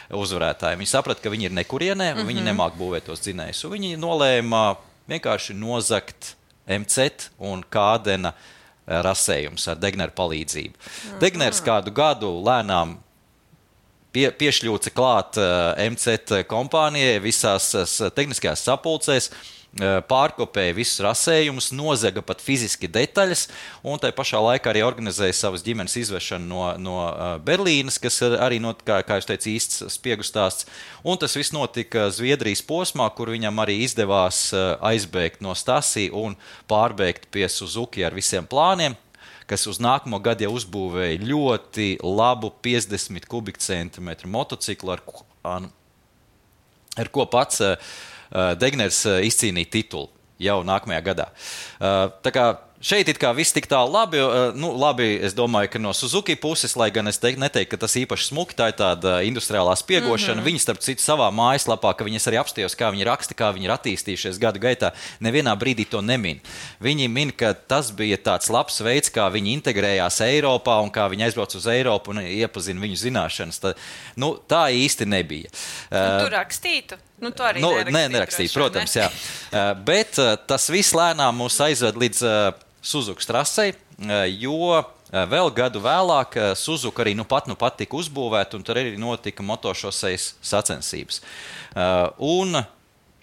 [SPEAKER 3] uzvarētāji. Viņi saprata, ka viņi ir nekurienē, un mm-hmm. viņi nemāk būvēt tos dzinējus. Viņi nolēma vienkārši nozagt M C T un Kādena rasējums ar Degneru palīdzību. Mm-hmm. Degners kādu gadu lēnām Pie, piešļūca klāt uh, M C T kompānijai visās uh, tehniskajās sapulcēs, uh, pārkopēja visus rasējumus, nozaga pat fiziski detaļas, un tai pašā laikā arī organizēja savas ģimenes izvešanu no, no uh, Berlīnas, kas arī, not, kā, kā jūs teicu, īsts spiegu stāsts. Un tas viss notika Zviedrijas posmā, kur viņam arī izdevās uh, aizbēgt no Stasi un pārbēgt pie Suzuki ar visiem plāniem, kas uz nākamo gadu jau uzbūvēja ļoti labu piecdesmit kubikcentimetru motociklu, ar, ar, ar ko pats uh, Degners uh, izcīnīja titulu jau nākamajā gadā. Uh, tā kā šeit it kā viss tik tālu labi, nu, labi, es domāju, ka no Suzuki puses, lai gan es teik, neteiktu, ka tas īpaši smuki, tā ir tāda industriālā spiegošana. Mm-hmm. Viņi, starp citu, savā mājaslapā, ka viņi es arī apstījos, kā viņi raksta, kā viņi ir attīstījušies gadu gaitā, nevienā brīdī to nemin. Viņi min, ka tas bija tāds labs veids, kā viņi integrējās Eiropā un kā viņi aizbrauc uz Eiropu un iepazina viņu zināšanas. Tā, nu, tā īsti nebija.
[SPEAKER 2] Nu, tu rakstītu? Nu, to arī
[SPEAKER 3] nu,
[SPEAKER 2] nerakstītu.
[SPEAKER 3] Ne, nerakstītu, protams, ne? Jā. Bet tas viss lēnām mūs aizved līdz Suzuki trasei, jo vēl gadu vēlāk Suzuki arī nu pat, nu pat tika uzbūvēta, un tur arī notika motošosejas sacensības. Un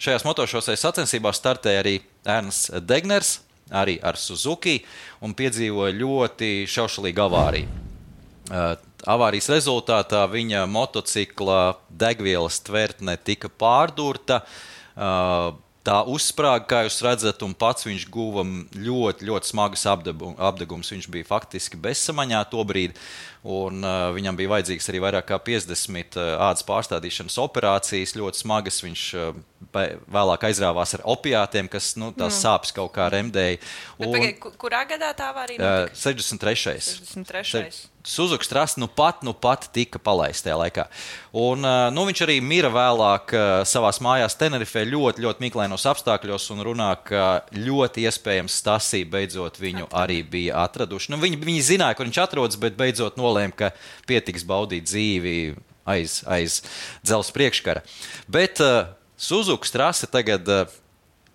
[SPEAKER 3] šajās motošosejas sacensībās startēja arī Ernsts Degners, arī ar Suzuki, un piedzīvoja ļoti šaušalīgu avāriju. Avārijas rezultātā viņa motocikla degvielas tvertne tika pārdurta, tā uzsprāga, kā jūs redzat, un pats viņš guva ļoti, ļoti smagas apdegums. Viņš bija faktiski bezsamaņā tobrīd, un uh, viņam bija vajadzīgs arī vairāk kā piecdesmit uh, ādas pārstādīšanas operācijas, ļoti smagas. Viņš uh, vēlāk aizrāvās ar opiātiem, kas nu, tās mm. sāpes kaut kā remdēja.
[SPEAKER 2] Bet, un, pagaid, kurā gadā tā avārija notika?
[SPEAKER 3] Uh, sešdesmit trešais
[SPEAKER 2] sešdesmit trešais
[SPEAKER 3] Suzuki trase nu pat, nu pat tika palaista tajā laikā. Un, nu, viņš arī mira vēlāk savās mājās Tenerifē ļoti, ļoti mīklainos apstākļos un runā, ka ļoti iespējams Stasī beidzot viņu arī bija atraduši. Nu, viņi, viņi zināja, kur viņš atrodas, bet beidzot nolēma, ka pietiks baudīt dzīvi aiz, aiz dzelzs priekškara. Bet uh, Suzuki trase tagad... Uh,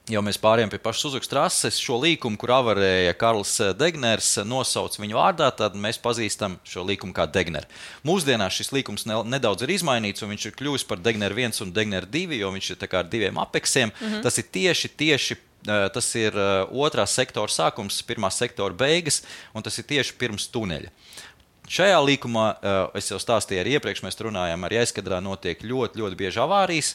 [SPEAKER 3] Jau mēs pārējām pie pašas Suzuki trases, šo līkumu, kur avarēja Karls Degners, nosauc viņu vārdā, tad mēs pazīstam šo līkumu kā Degner. Mūsdienās šis līkums ne, nedaudz ir izmainīts, un viņš ir kļuvis par Degner viens un Degner divi, jo viņš ir tā kā ar diviem apeksiem. Mm-hmm. Tas ir tieši, tieši, tas ir otrā sektora sākums, pirmā sektora beigas, un tas ir tieši pirms tuneļa. Šajā līkumā, es jau stāstīju arī iepriekš, mēs runājām, arī aizkadrā notiek ļoti, ļoti bieži avārijas,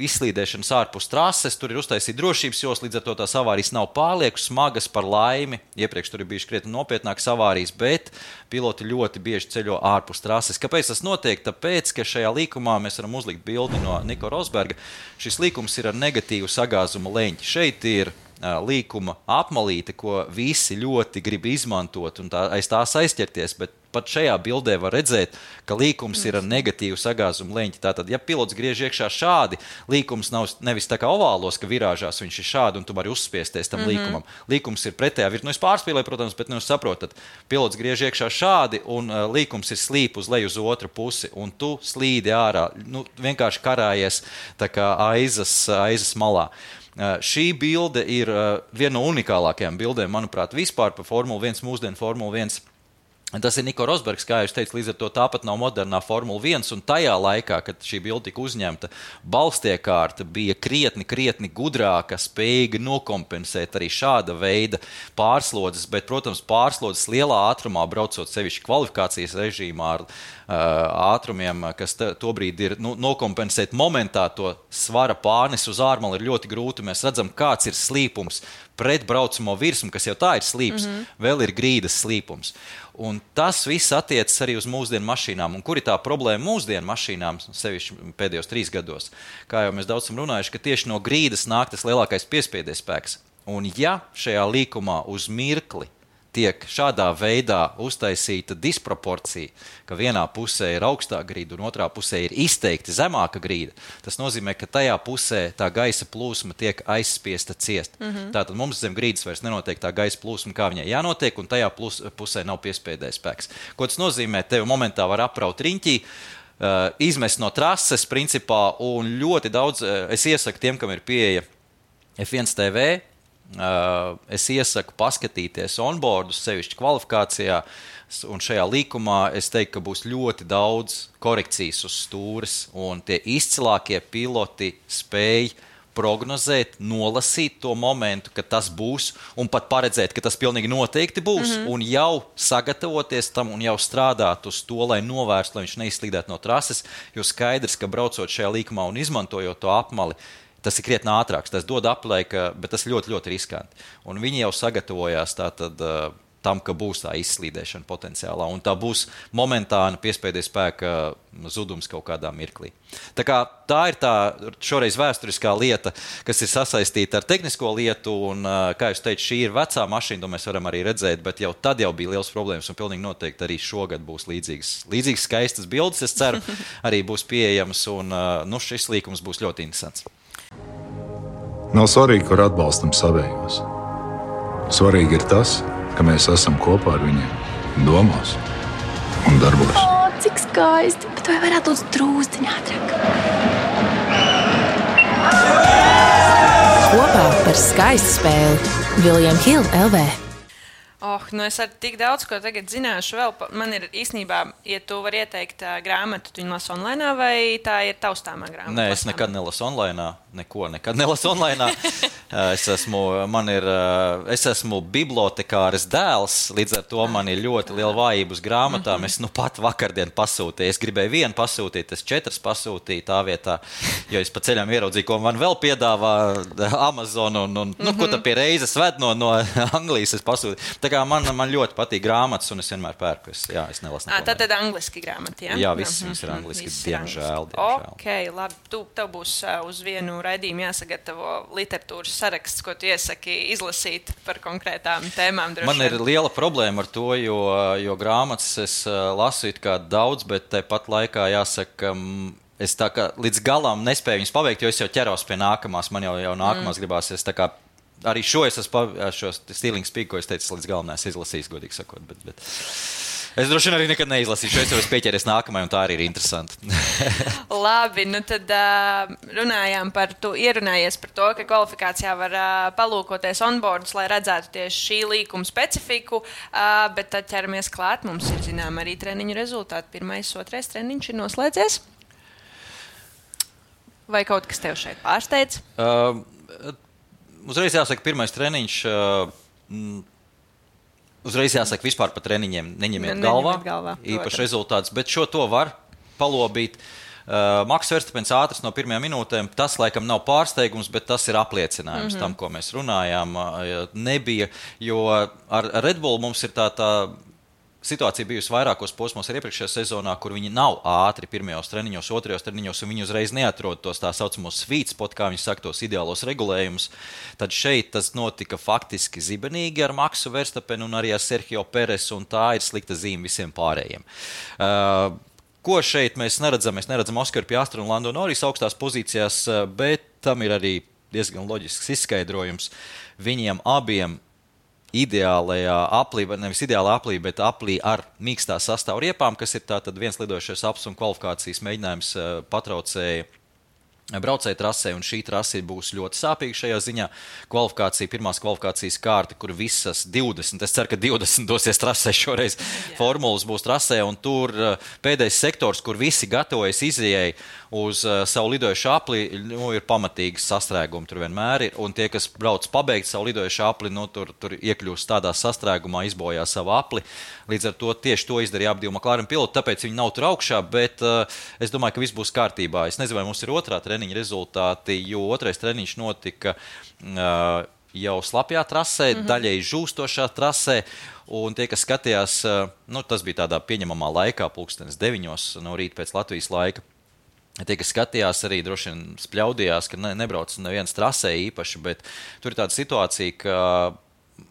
[SPEAKER 3] izslīdēšanas ārpus trases, tur ir uztaisīta drošības jos, līdz ar to tās avārijas nav pārlieku smagas par laimi, iepriekš tur ir bijuši krietni nopietnākas avārijas, bet piloti ļoti bieži ceļo ārpus trases. Kāpēc tas notiek? Tāpēc, ka šajā līkumā mēs varam uzlikt bildi no Niko Rosberga, šis līkums ir ar negatīvu sagāzuma leņķi. Šeit ir līkuma apmalīte, ko visi ļoti grib izmantot un tā, aiz tās aizķerties, bet pat šajā bildē var redzēt, ka līkums ir ar negatīvu sagāzumu leņķi. Tātad, ja pilots griež iekšā šādi, līkums nav nevis tā kā ovālos, ka virāžās viņš ir šādi un tu vari uzspiesties tam mm-hmm. līkumam. Līkums ir pretējā virzienā. Nu, es pārspīlēju, protams, bet nu, jūs saprotat, pilots griež iekšā šādi un uh, līkums ir slīp uz leju uz otru pusi un tu slīdi ārā, nu, vienkārši karājies tā kā aizas, aizas malā. Uh, šī bilde ir uh, viena no unikālākajām bildēm, manuprāt, vispār par Formula viens, mūsdienu Formula viens. Tas ir Niko Rosbergs, kā jūs teicu, līdz ar to tāpat nav modernā Formula viens, un tajā laikā, kad šī bilde tika uzņemta, balstiekārta bija krietni, krietni gudrāka, spējīga nokompensēt arī šāda veida pārslodzes, bet, protams, pārslodzes lielā ātrumā, braucot sevišķi kvalifikācijas režīmā ar uh, ātrumiem, kas t- tobrīd ir nu, nokompensēt momentā to svara pārnes uz ārmali ir ļoti grūti. Mēs redzam, kāds ir slīpums pret braucamo virsmu, kas jau tā ir slīps, mm-hmm. vēl ir grīdas slīpums. Un tas viss attiecas arī uz mūsdienu mašīnām. Un kur ir tā problēma mūsdienu mašīnām, sevišķi pēdējos trīs gados? Kā jau mēs daudz esam runājuši, ka tieši no grīdas nāk tas lielākais piespiedes spēks. Un ja šajā līkumā uz mirkli tiek šādā veidā uztaisīta disproporcija, ka vienā pusē ir augstā grīda un otrā pusē ir izteikti zemāka grīda, tas nozīmē, ka tajā pusē tā gaisa plūsma tiek aizspiesta ciest. Mm-hmm. Tātad mums zem grīdas vairs nenotiek tā gaisa plūsma, kā viņai jānotiek, un tajā plus, pusē nav piespēdē spēks. Ko tas nozīmē? Tev momentā var apraut riņķī, uh, izmest no trases principā, un ļoti daudz, uh, es iesaku tiem, kam ir pieeja F viens T V, Uh, es iesaku paskatīties onboardus, sevišķi kvalifikācijā, un šajā līkumā es teiktu, ka būs ļoti daudz korekcijas uz stūres, un tie izcilākie piloti spēj prognozēt, nolasīt to momentu, ka tas būs, un pat paredzēt, ka tas pilnīgi noteikti būs, mm-hmm. un jau sagatavoties tam un jau strādāt uz to, lai novērstu, lai viņš neizslīdētu no trases, jo skaidrs, ka braucot šajā līkumā un izmantojot to apmali, tas ir krietni ātrāks, tas dod aplaika, bet tas ļoti, ļoti riskanti. Un viņi jau sagatavojās tātad uh, tam, ka būs tā izslīdēšana potenciālā, un tā būs momentāna piespēdes spēka zudums kaut kādā mirklī. Tā kā tā ir tā šoreiz vēsturiskā lieta, kas ir sasaistīta ar tehnisko lietu, un, uh, kā jūs teicu, šī ir vecā mašīna, to mēs varam arī redzēt, bet jau tad jau bija liels problēmas, un pilnīgi noteikti arī šogad būs līdzīgas, līdzīgas skaistas bildes, es ceru, arī būs pieejamas, un uh, nu, šis līkums būs ļoti interesants.
[SPEAKER 4] Nav svarīgi, kur atbalstam savējos. Svarīgi ir tas, ka mēs esam kopā ar viņiem domās un darbos.
[SPEAKER 7] O, cik skaisti, bet vai varētu būt drūzdiņā ātrāk?
[SPEAKER 6] Kopā par skaistu spēli William Hill L V.
[SPEAKER 2] Oh, nu es ar tik daudz, ko tagad zināšu vēl. Man ir īstenībā, ja tu vari ieteikt uh, grāmatu, tu viņu lasu online, vai tā ir taustāmā grāmata?
[SPEAKER 3] Nē, es nekad nelasu online, neko nekad nelasu online. es esmu, man ir, es esmu bibliotekāres dēls, līdz ar to man ir ļoti liela vājība uz grāmatām. Mm-hmm. Es nu pat vakardien pasūtīju, es gribēju vienu pasūtīt, es četras pasūtīju tā vietā, jo es pa ceļām ieraudzīju, ko man vēl piedāvā Amazon, un, un mm-hmm. nu, ko tā pie reizes ved no, no Anglijas es pasūtīju. Tā tā kā man, man ļoti patīk grāmatas, un es vienmēr pērku. Es, jā, es nelasu.
[SPEAKER 2] À, tad tad angliski grāmata, jā?
[SPEAKER 3] Jā, viss, viss ir angliski,
[SPEAKER 2] Viss
[SPEAKER 3] diemžēl,
[SPEAKER 2] angliski.
[SPEAKER 3] diemžēl.
[SPEAKER 2] Ok, labi. Tu, tev būs uh, uz vienu raidījumu jāsagatavo literatūras saraksts, ko tu iesaki izlasīt par konkrētām tēmām. Droši
[SPEAKER 3] Man ir liela problēma ar to, jo, jo grāmatas es uh, lasu it kā daudz, bet tepat laikā jāsaka, um, es tā kā līdz galam nespēju viņus paveikt, jo es jau ķeros pie nākamās, man jau, jau nākamās mm. gribās. Es tā kā arī šo es esmu, šo Stealing Speak, ko es teicu, līdz galam neesmu izlasījis, godīgi sakot, bet, bet es droši vien arī nekad neizlasīšu, es jau esmu pieķeries nākamajai, un tā arī ir interesanti.
[SPEAKER 2] Labi, nu tad uh, runājām par, tu ierunājies par to, ka kvalifikācijā var uh, palūkoties onboardus, lai redzētu tieši šī līkuma specifiku, uh, bet tad ķeramies klāt, mums ir zinām arī treniņu rezultāti. Pirmais, otrais treniņš ir noslēdzies. Vai kaut kas tev šeit pārsteidz?
[SPEAKER 3] Uh, uzreiz jāsaka, pirmais treniņš, uh, uzreiz jāsaka, vispār par treniņiem neņemiet
[SPEAKER 2] Ne,
[SPEAKER 3] galvā,
[SPEAKER 2] galvā
[SPEAKER 3] īpaši rezultāts, bet šo to var palobīt. Uh, Maks Verstapens ātrs no pirmajām minūtēm, tas laikam nav pārsteigums, bet tas ir apliecinājums mm-hmm. tam, ko mēs runājām. Uh, nebija, jo ar Red Bull mums ir tā tā situācija bijusi vairākos posmos ar iepriekšējā sezonā, kur viņi nav ātri pirmajos treniņos, otrajos treniņos, un viņi uzreiz neatrod tos tā saucamos sweet spot, kā viņi saka, tos ideālos regulējumus. Tad šeit tas notika faktiski zibenīgi ar Maksu Verstapenu un arī ar Sergio Peresu, un tā ir slikta zīme visiem pārējiem. Uh, ko šeit mēs neredzam? Mēs neredzam Oskaru Piastru un Lando Norris augstās pozīcijās, bet tam ir arī diezgan loģisks izskaidrojums. Viņiem abiem ideālajā aplī, nevis ideālā aplī, bet aplī ar mīkstā sastāvu riepām, kas ir tātad viens lidojušais aps un kvalifikācijas mēģinājums patraucēja braucēja trasē, un šī trase būs ļoti sāpīga šajā ziņā. Kvalifikācija, pirmās kvalifikācijas kārta, kur visas divdesmit, es ceru, ka divdesmit dosies trasē šoreiz, yeah. formulas būs trasē, un tur pēdējais sektors, kur visi gatavojas izējai uz uh, savu lidojušu apli, nu, ir pamatīgi sastrēgumi, tur vienmēr ir, un tie, kas brauc pabeigt savu lidojušu apli, nu, tur, tur iekļūst tādā sastrēgumā, izbojā savu apli. Līdz ar to tieši to izdarīja abi divi McLaren piloti, tāpēc viņi nav tur augšā, bet uh, es domāju, ka viss būs kārtībā. Es nezinu, vai mums ir otrā treniņa rezultāti, jo otrais treniņš notika uh, jau slapjā trasē, mm-hmm. daļēji žūstošā trasē, un tie, kas skatījās, uh, nu, tas bija tādā pieņemamā laikā, pulkstenes deviņos no rīta pēc Latvijas laika. Tie, kas skatījās, arī droši vien spļaudījās, ka ne, nebrauc neviens trasē īpaši, bet tur ir tāda situācija, ka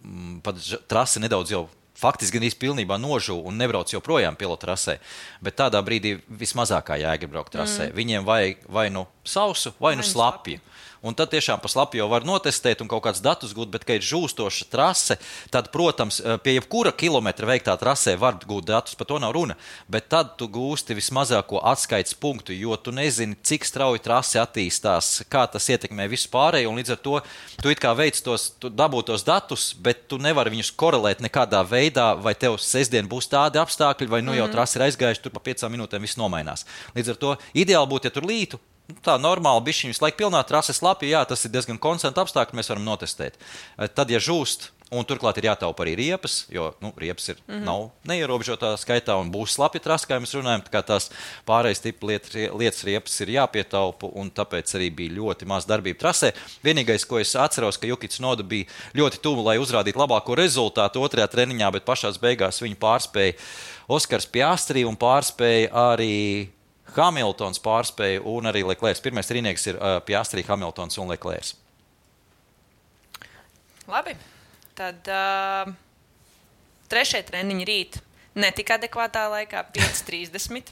[SPEAKER 3] m, pat trase nedaudz jau faktiski gan īsti pilnībā nožū un nebrauc joprojām pilotu trasē, bet tādā brīdī vismazākā jēga ir braukt trasē. Mm. Viņiem vajag vai nu sausu, vai nu slapju. Un tad tiešām pa slapju jau var notestēt un kaut kāds datus gūt, bet, ka ir žūstoša trase, tad, protams, pie jebkura kilometra veiktā trasē var gūt datus, par to nav runa, bet tad tu gūsti vismazāko atskaites punktu, jo tu nezini, cik strauji trase attīstās, kā tas ietekmē visu pārēju, un līdz ar to tu it kā veic tos, tu dabū tos datus, bet tu nevari viņus korelēt nekādā veidā, vai tev sestdien būs tādi apstākļi, vai nu jau trase ir aizgājuši, tur pa piecām minūtēm viss nomainās. Līdz ar to ideāli būtu, ja tur lītu, tā normāli bišķiņ visu laiku pilnā trase slapja, jā, tas ir diezgan konstanta apstākļi, mēs varam notestēt. Tad, ja žūst, un turklāt ir jātaupa arī riepas, jo nu, riepas ir, mm-hmm. nav neierobežotā skaitā un būs slapja trase, kā mēs runājam, tā kā tās pārējais tipa lietas, lietas riepas ir jāpietaupa, un tāpēc arī bija ļoti maz darbība trasē. Vienīgais, ko es atceros, ka Juki Tsunoda bija ļoti tuvu, lai uzrādītu labāko rezultātu otrajā treniņā, bet pašās beigās viņu pārspēja Oskars Piastri un pārspēja arī Hamiltons pārspēja un arī Leclerc. Pirmais trīnieks ir uh, Piastri, Hamiltons un Leclerc.
[SPEAKER 2] Labi. Tad uh, trešie treniņi rīt netika adekvātā laikā, pieci trīsdesmit.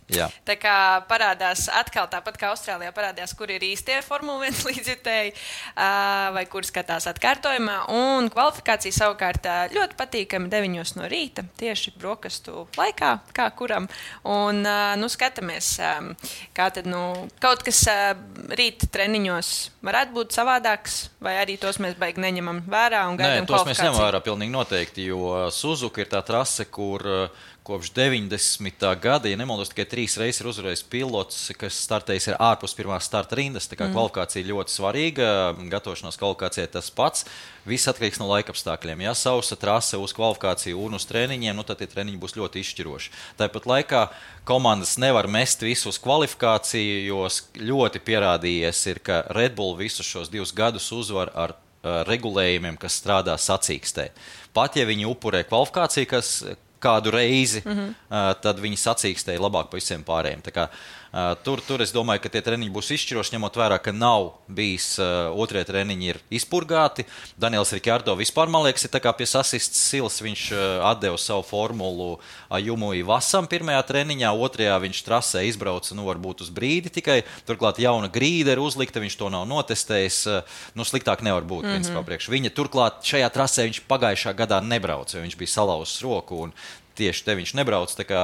[SPEAKER 2] Tā kā parādās atkal tāpat kā Austrālijā parādījās, kur ir īstie Formula viens līdzjutēji uh, vai kur skatās atkārtojumā. Un kvalifikācija savukārt uh, ļoti patīkami deviņos no rīta, tieši brokastu laikā, kā kuram. Un uh, nu skatāmies, um, kā tad nu kaut kas uh, rīta treniņos varētu būt savādāks, vai arī tos mēs baigi neņemam vērā un gaidām
[SPEAKER 3] kvalifikāciju? Nē, tos mēs ņemam vērā pilnīgi noteikti, jo Suzuka ir tā trase, kur uh, kopš deviņdesmitā gada, ja nemaldos, tikai trīs reizes ir uzvarējis pilots, kas startējis ir ārpus pirmās starta rindas. Tā kā mm. kvalifikācija ļoti svarīga, gatavošanās kvalifikācijai tas pats. Viss atkarīgs no laikapstākļiem. Ja sausa trase uz kvalifikāciju un uz treniņiem, nu tad tie treniņi būs ļoti izšķiroši. Tāpat laikā komandas nevar mest visu uz kvalifikāciju, jo ļoti pierādījies ir, ka Red Bull visus šos divus gadus uzvar ar uh, regulējumiem, kas strādā sacīkstē. Pat ja viņi upurē kvalifikāciju, kas kādu reizi, mm-hmm. uh, tad viņi sacīkstēja labāk pa visiem pārējiem. Tā kā, uh, tur, tur es domāju, ka tie treniņi būs izšķiroši, ņemot vērā, ka nav bijis uh, otrie treniņi ir izpurgāti. Daniels Rikārdo vispār, man liekas, ir tā kā pie sasistas silas, viņš uh, atdeva savu formulu Ajumui Vasam pirmajā treniņā, otrajā viņš trasē izbrauca, nu varbūt uz brīdi tikai, turklāt jauna grīda ir uzlikta, viņš to nav notestējis, uh, nu sliktāk nevar būt, mm-hmm. principā priekš. Viņa turklāt šajā trasē viņš pagājušā gadā nebrauca, jo viņš bija salauzis roku un tieši te viņš nebrauc, tā kā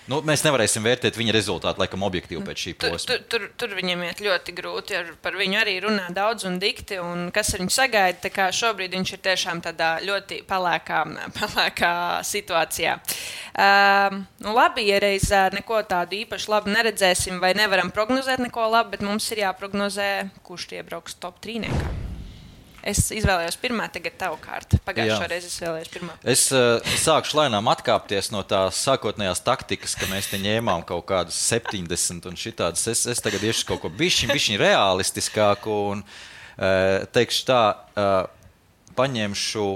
[SPEAKER 3] nu, mēs nevarēsim vērtēt viņa rezultātu, laikam, objektīvi pēc šī posma.
[SPEAKER 2] Tur, tur, tur viņam iet ļoti grūti, ar, par viņu arī runā daudz un dikti, un kas ar viņu sagaida, tā kā šobrīd viņš ir tiešām tādā ļoti pelēkā, pelēkā situācijā. Uh, nu labi, ja reiz neko tādu īpaši labi neredzēsim, vai nevaram prognozēt neko labi, bet mums ir jāprognozē, kurš iebrauks top trīniekā. Es izvēlējos pirmā, tagad tavu kārtu. Pagājušo reizi es vēlējos pirmā.
[SPEAKER 3] Es uh, sākšu lēnām atkāpties no tās sākotnējās taktikas, ka mēs te ņēmām kaut kādus septiņdesmit un šitādas. Es, es tagad iešu kaut ko bišķiņ, bišķiņ realistiskāku un uh, teikšu tā, uh, paņemšu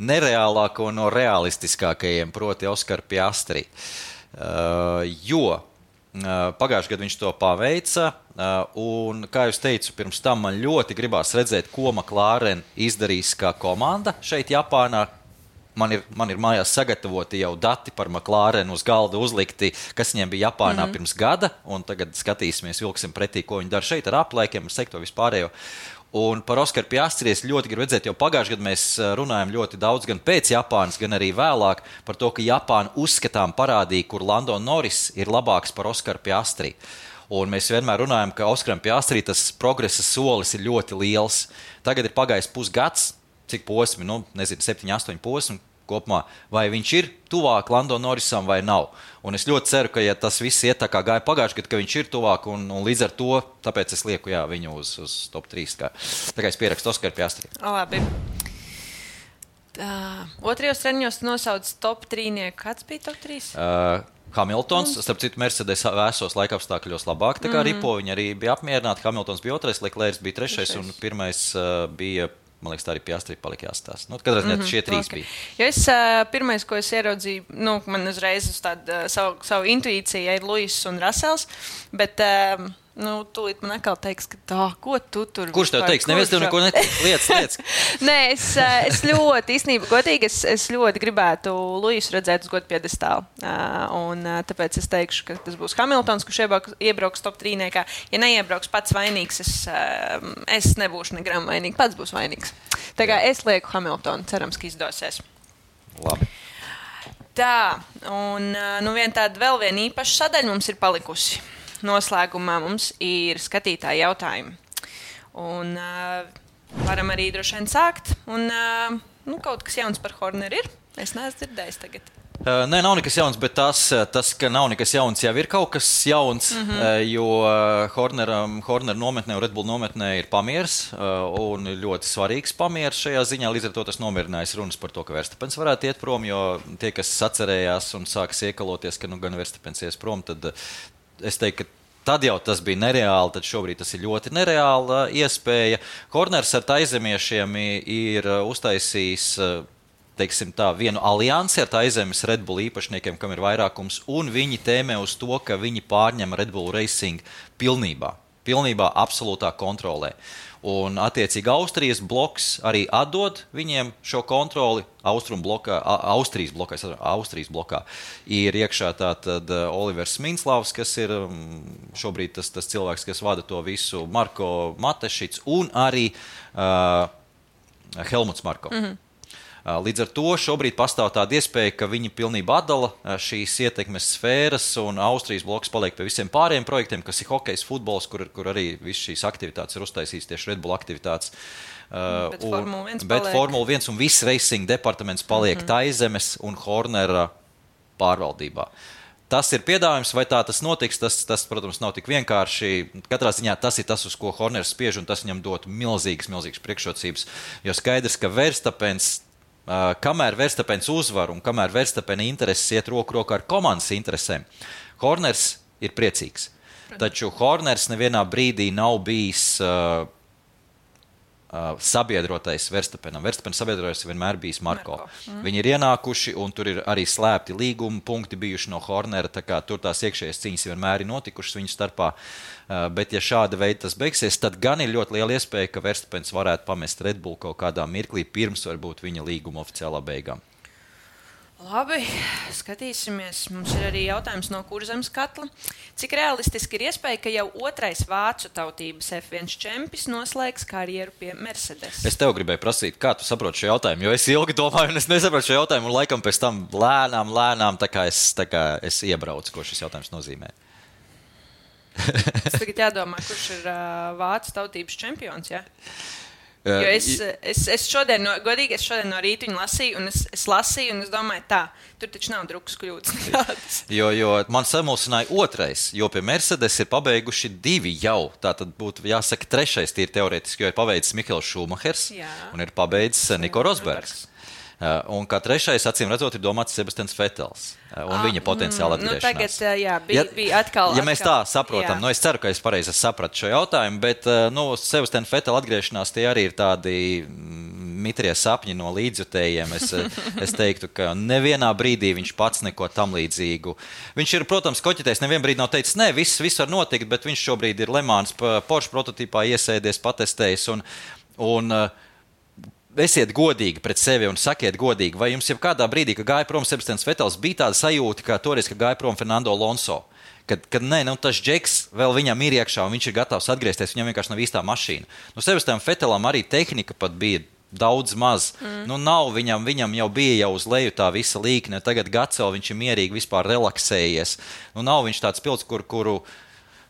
[SPEAKER 3] nereālāko no realistiskākajiem, proti Oskar Piastri. Uh, jo pagājušajā gadā viņš to paveica, un, kā jūs teicu, pirms tam man ļoti gribās redzēt, ko McLaren izdarīs kā komanda šeit Japānā. Man ir, man ir mājās sagatavoti jau dati par McLaren uz galda uzlikti, kas viņiem bija Japānā mm-hmm. pirms gada, un tagad skatīsimies, vilksim pretī, ko viņi dara šeit ar aplēkiem, ar sektoru vispārējo. Un par Oskaru Piastri es ļoti gribu redzēt, jo pagājušajā gadā mēs runājam ļoti daudz gan pēc Japānas, gan arī vēlāk par to, ka Japāna uzskatām parādīja, kur Lando Norris ir labāks par Oskaru Piastri. Un mēs vienmēr runājam, ka Oskaram Piastri tas progresa solis ir ļoti liels. Tagad ir pagājis pusgads, cik posmi, nu, nezinu, septiņi, astoņi posmi kopumā, vai viņš ir tuvāk Lando Norrisam vai nav. Un es ļoti ceru, ka ja tas viss iet tā kā gāja pagājušajā gadā, ka viņš ir tuvāk un, un līdz ar to, tāpēc es lieku jā, viņu uz, uz top trīs. Kā. Tā kā es pierakstu Oskaru Piastri.
[SPEAKER 2] Labi. Tā, otrajos treniņos nosauc top trīnieku. Kāds bija top trīs?
[SPEAKER 3] Uh, Hamiltons, mm. starp citu, Mercedes vēsos laikapstākļos labāk, tā kā mm-hmm. ripo viņi arī bija apmierināti. Hamiltons bija otrais, Leclerc bija trešais, trešais. Un pirmais uh, bija, man liekas, tā arī Piastri palika jāstās. Nu, katrā ziņā mm-hmm. šie trīs okay. bija.
[SPEAKER 2] Jo es uh, pirmais, ko es ieraudzīju, nu, man uzreiz uz tādu uh, savu, savu intuīciju ir Luis un Russells, bet... Uh, Nu, tūlīt man atkal teiks, ka tā, ko tu tur...
[SPEAKER 3] Kurš tev teiks? Neviens tev neko neteiks. Lietas, lietas.
[SPEAKER 2] Nē, es, es ļoti, īstenībā, godīgi, es, es ļoti gribētu Luisu redzēt uz godu piedestālu. Un tāpēc es teikšu, ka tas būs Hamiltons, kurš iebrauks, iebrauks top trīniekā. Ja neiebrauks pats vainīgs, es, es nebūšu negram vainīgi. Pats būs vainīgs. Tā kā es lieku Hamiltonu, cerams, ka izdosies.
[SPEAKER 3] Labi.
[SPEAKER 2] Tā, un nu vien tāda vēl viena īpaša sadaļa mums ir palikusi. Noslēgumā mums ir skatītāji jautājumi. Un uh, varam arī droši vien sākt. Un uh, nu, kaut kas jauns par Horneru ir. Es neesmu dzirdējis tagad.
[SPEAKER 3] Uh, nē, nav nekas jauns, bet tas, tas, ka nav nekas jauns, jau ir kaut kas jauns, mm-hmm. uh, jo Hornera, Hornera nometnē un Red Bull nometnē ir pamieris uh, un ļoti svarīgs pamieris šajā ziņā. Līdz ar to tas nomierinājis runas par to, ka Verstapens varētu iet prom, jo tie, kas atcerējās un sākas iekaloties, ka nu gan Verstapens ies prom, tad uh, es teiktu, ka tad jau tas bija nereāli, tad šobrīd tas ir ļoti nereāla iespēja. Horners ar taizemiešiem ir uztaisījis, teiksim tā, vienu aliansi ar taizemes Red Bull īpašniekiem, kam ir vairākums, un viņi tēmē uz to, ka viņi pārņem Red Bull Racing pilnībā, pilnībā absolūtā kontrolē. Un, attiecīgi, Austrijas bloks arī atdod viņiem šo kontroli. Austrum blokā, Austrijas blokā, Austrijas blokā ir iekšā tātad Olivers Minslavs, kas ir šobrīd tas, tas cilvēks, kas vada to visu, Marko Matešits un arī uh, Helmuts Marko. Mm-hmm. Līdz ar to šobrīd pastāv tāda iespēja, ka viņi pilnībā atdala šīs ietekmes sfēras un Austrijas bloks paliek pie visiem pārējiem projektiem, kas ir hokejs, futbols, kur, kur arī viss šīs aktivitātes ir uztaisīts tieši Red Bull aktivitātes.
[SPEAKER 2] Bet
[SPEAKER 3] un,
[SPEAKER 2] Formula viens
[SPEAKER 3] bet
[SPEAKER 2] paliek.
[SPEAKER 3] Formula viens un viss racing departaments paliek mm-hmm. taizemes un Hornera pārvaldībā. Tas ir piedāvājums, vai tā tas notiks, tas, tas, protams, nav tik vienkārši. Katrā ziņā tas ir tas, uz ko Horners spiež, un tas viņam dot milzīgas, milzīgas priekšrocības, jo skaidrs, ka Verstapens Uh, kamēr Verstapens uzvar un kamēr Verstapena intereses iet roku rokā ar komandas interesēm, Horners ir priecīgs. Taču Horners nevienā brīdī nav bijis uh, uh, sabiedrotais Verstappenam. Verstappen sabiedrotais vienmēr bijis Marko.
[SPEAKER 2] Marko. Mm.
[SPEAKER 3] Viņi ir ienākuši, un tur ir arī slēpti līguma punkti bijuši no Hornera, tā kā tur tās iekšējās cīņas vienmēr ir notikušas viņu starpā. Uh, bet ja šāda veida tas beigsies, tad gan ir ļoti liela iespēja, ka Verstappens varētu pamest Red Bull kaut kādā mirklī pirms varbūt viņa līguma oficiālā beigām.
[SPEAKER 2] Labi, skatīsimies. Mums ir arī jautājums no Kurzemes katla. Cik realistiski ir iespēja, ka jau otrais vācu tautības F viens čempis noslēgs karjeru pie Mercedes?
[SPEAKER 3] Es tev gribēju prasīt, kā tu saproti šo jautājumu, jo es ilgi domāju, un es nesaprotu šo jautājumu, un laikam pēc tam lēnām, lēnām, tā kā es, tā kā es iebraucu, ko šis jautājums nozīmē.
[SPEAKER 2] Es tagad jādomā, kurš ir uh, vācu tautības čempions, jā? Jo es, es, es šodien, no, godīgi, es šodien no rīta viņu lasīju, un es, es lasīju, un es domāju, tā, tur taču nav drukas kļūdas nekādas.
[SPEAKER 3] Jo, jo man samulsināja otrais, jo pie Mercedes ir pabeiguši divi jau. Tā tad būtu jāsaka trešais tīri teorētiski, jo ir pabeidzis Mihails Šumahers un ir pabeidzis Niko Rosbergs. Uh, un kā trešais, acīm redzot, ir domāts Sebastians Vettels un ah, viņa potenciāla atgriešanās.
[SPEAKER 2] Nu, tagad, jā, bija, ja, bija atkal...
[SPEAKER 3] Ja mēs
[SPEAKER 2] atkal,
[SPEAKER 3] tā saprotam,
[SPEAKER 2] jā.
[SPEAKER 3] nu es ceru, ka es pareizi sapratu šo jautājumu, bet, nu, Sebastian Vettela atgriešanās tie arī ir tādi mitrie sapņi no līdzjutējiem. Es, es teiktu, ka nevienā brīdī viņš pats neko tam līdzīgu. Viņš ir, protams, koķitējis, nevien brīdī nav teicis, ne, viss, viss var notikt, bet viņš šobrīd ir Le Mans Porsche prototīpā iesēdies, patestējis un... un esiet godīgi pret sevi un sakiet godīgi, vai jums jau kādā brīdī, kad gāja prom Sebastians Vettels, bija tāda sajūta, kā toreiz, kad gāja prom Fernando Alonso, kad, kad nē, nu tas džeks vēl viņam ir iekšā un viņš ir gatavs atgriezties, viņam vienkārši nav īstā mašīna. Nu, Sebastianam Vettelam arī tehnika pat bija daudz maz. Mm. Nu, nav viņam, viņam jau bija jau uz leju tā visa līkne, tagad gads vēl viņš ir mierīgi vispār relaksējies. Nu, nav viņš tāds pilns, kur, kuru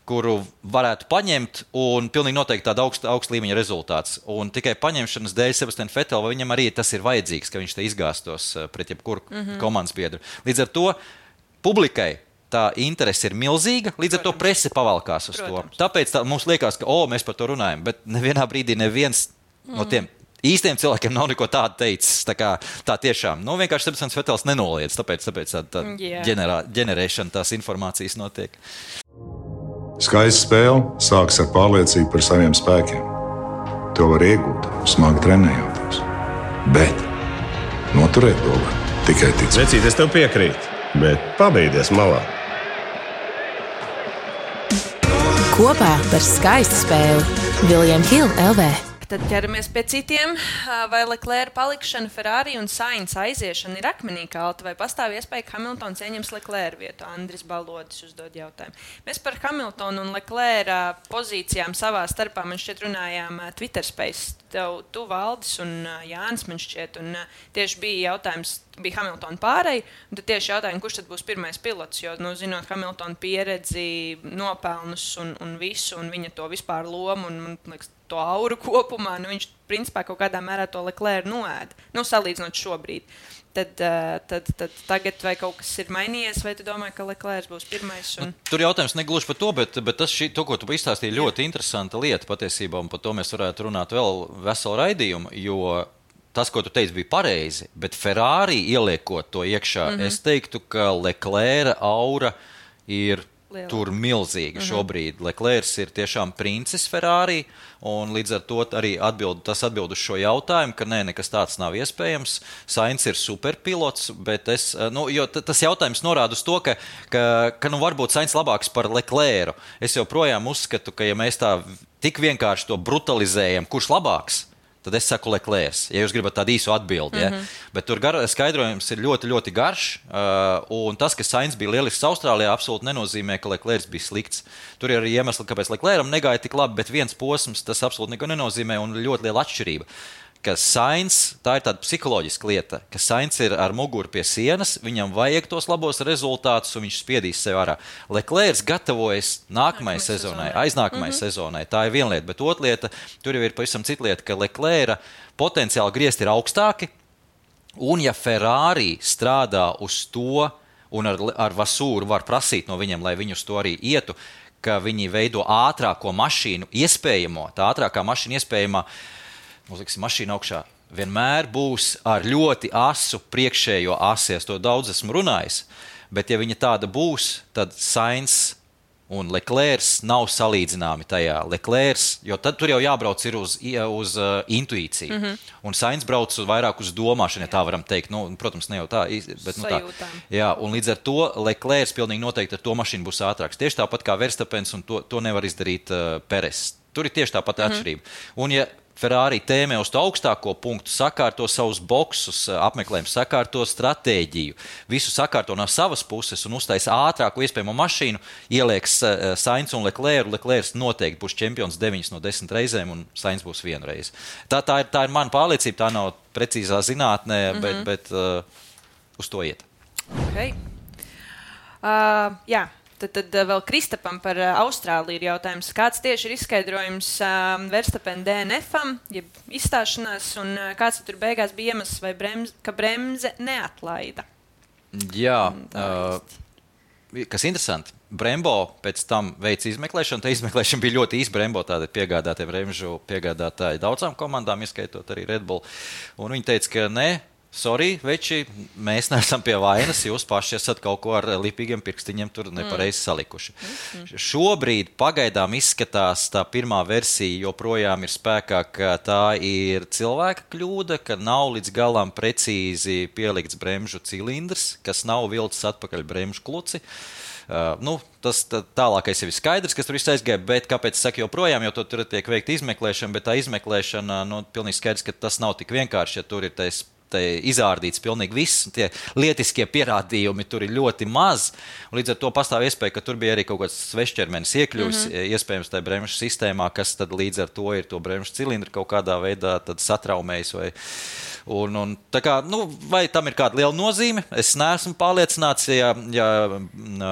[SPEAKER 3] kuru varētu paņemt un pilnīgi noteikti tāda augsta, augsta līmeņa rezultāts. Un tikai paņemšanas dēļ Sebastian Vettel, vai viņam arī tas ir vajadzīgs, ka viņš te izgāstos pret jebkuru mm-hmm. komandas biedru. Līdz ar to publikai tā interese ir milzīga, līdz ar Protams. To prese pavalkās uz Protams. To. Tāpēc tā, mums liekas, ka o, mēs par to runājam, bet nevienā brīdī neviens mm. no tiem īstiem cilvēkiem nav neko tādu teicis. Tā, kā, tā tiešām. Nu, vienkārši Sebastians Vettels nenoliedz, tāpēc, tāpēc tā, tā yeah. ģenerā, ģenerēšana tās informācijas notiek.
[SPEAKER 4] Skaista spēle sākas ar pārliecību par saviem spēkiem. To var iegūt, smagi trenējoties. Bet noturēt to var tikai ticēt.
[SPEAKER 5] Vecīt, es tev piekrītu, bet pabeigties malā.
[SPEAKER 6] Kopā par skaistu spēli William Hill L V.
[SPEAKER 2] Tad ķeramies pie citiem. Vai Leclerc palikšana, Ferrari un Sainz aiziešana ir akmenī kalta, vai pastāv iespēja, ka Hamiltons ieņems Leclerc vietu? Andris Balodis uzdod jautājumu. Mēs par Hamiltonu un Leclerc pozīcijām savā starpā, man šķiet, runājām Twitter Space. Tev, tu Valdis un Jānis, man šķiet, un tieši bija jautājums, bija Hamiltona pārēj, un tad tieši jautājumi, kurš tad būs pirmais pilots, jo, nu, zinot Hamiltona pieredzi, nopelnus un, un visu, un viņa to vispār lomu, un, man liekas, to auru kopumā, nu, viņš principā kaut kādā mērā to Leclerc noēda, nu, salīdzinot šobrīd. Tad, tad, tad tagad vai kaut kas ir mainījies, vai tu domāji, ka Leclerc būs pirmais? Un...
[SPEAKER 3] Nu, tur jautājums negluži par to, bet, bet tas, šī, to, ko tu izstāstīji, ļoti interesanta lieta patiesībā, un par to mēs varētu runāt vēl veselu raidījumu, jo tas, ko tu teici, bija pareizi, bet Ferrari ieliekot to iekšā, mm-hmm. es teiktu, ka Leclerc aura ir Liela. Tur milzīgi šobrīd. Mm-hmm. Leclerc ir tiešām princis Ferrari, un līdz ar to arī atbild, tas atbild uz šo jautājumu, ka nē, nekas tāds nav iespējams. Sainz ir superpilots, bet es, nu, jo t- tas jautājums norāda uz to, ka, ka, ka nu, varbūt Sainz labāks par Leclercu. Es joprojām uzskatu, ka ja mēs tā tik vienkārši to brutalizējam, kurš labāks, tad es saku Leclerc, ja jūs gribat tādu īsu atbildi. Ja? Mm-hmm. Bet tur gar, skaidrojums ir ļoti, ļoti garš, uh, un tas, ka Sainz bija lielisks Austrālijā, absolūti nenozīmē, ka Leclerc bija slikts. Tur ir arī iemesli, kāpēc Leclercam negāja tik labi, bet viens posms tas absolūti neko nenozīmē un ļoti liela atšķirība. Ka Sainz, tā ir tāda psiholoģiska lieta, ka Sainz ir ar muguru pie sienas, viņam vajag tos labos rezultātus un viņš spiedīs sev ārā. Leclerc gatavojas nākamajai sezonai, aiznākamajai mm-hmm. sezonai. Tā ir viena lieta, bet otra lieta, tur jau ir pavisam cita lieta, ka Leclerc potenciāli griezti ir augstāki, un ja Ferrari strādā uz to, un ar, ar Vasūru var prasīt no viņiem, lai viņi uz to arī ietu, ka viņi veido ātrāko mašīnu iespējamo, tā ātrākā mašīna iespējamā, mums liksim mašīna augšā, vienmēr būs ar ļoti asu priekšējo asi. Es to daudz esmu runājis, bet ja viņa tāda būs, tad Sainz un Leclerc nav salīdzināmi tajā. Leclerc, jo tad tur jau jābrauc ir uz, uz uh, intuīciju. Mm-hmm. Un Sainz brauc uz vairāk uz domāšanu, ja tā varam teikt. Nu, protams, ne jau tā, bet nu tā. Jā, un līdz ar to Leclerc pilnīgi noteikti ar to mašīnu būs ātrāks. Tieši tāpat kā Verstappens, un to, to nevar izdarīt uh, Perez. Tur ir tieši tāpat mm-hmm. atšķirība. Un ja Ferrari tēmē uz to augstāko punktu, sakārto savus boksus, apmeklējumu, sakārto stratēģiju, visu sakārto no savas puses un uztais ātrāku iespējamo mašīnu, ielieks Sainz un Leclerc. Leclerc noteikti būs čempions deviņas no desmit reizēm un Sainz būs vienu reizi. Tā, tā, ir, tā ir mana pārliecība, tā nav precīzā zinātnē, mm-hmm. bet, bet uh, uz to iet.
[SPEAKER 2] Okay. Uh, jā. Tad, tad vēl Kristapam par Austrāliju ir jautājums. Kāds tieši ir izskaidrojums uh, Verstappen D N F-am, jeb izstāšanās, un uh, kāds tur beigās bija iemesls, vai bremze, ka bremze neatlaida?
[SPEAKER 3] Jā, uh, kas interesanti. Brembo pēc tam veica izmeklēšanu. Tā izmeklēšana bija ļoti īsa. Brembo tāda piegādātie bremžu piegādātāji daudzām komandām, ieskaitot arī Red Bull. Un viņi teica, ka ne. Sorry, veči, mēs neesam pie vainas, jūs paši esat kaut ko ar lipīgiem pirkstiņiem tur nepareizi salikuši. Mm. Šobrīd pagaidām izskatās tā pirmā versija joprojām ir spēkā, ka tā ir cilvēka kļūda, ka nav līdz galam precīzi pielikts bremžu cilindrs, kas nav vilcis atpakaļ bremžu kluci. Uh, nu, tas tā, tālākais jau ir skaidrs, kas tur viss aizgāja, bet kāpēc es saku joprojām, jo tur tiek veikta izmeklēšana, bet tā izmeklēšana, nu, pilnīgi skaidrs, ka tas nav tik vienkārši, ja tur ir tais izārdīts pilnīgi viss, tie lietiskie pierādījumi tur ir ļoti maz, un līdz ar to pastāv iespēja, ka tur bija arī kaut kāds svešķermenis iekļuvis, mm-hmm. iespējams tajā bremžu sistēmā, kas tad līdz ar to ir to bremžu cilindru kaut kādā veidā tad satraumējis vai Un, un, tā kā, nu, vai tam ir kāda liela nozīme? Es neesmu pārliecināts, ja, ja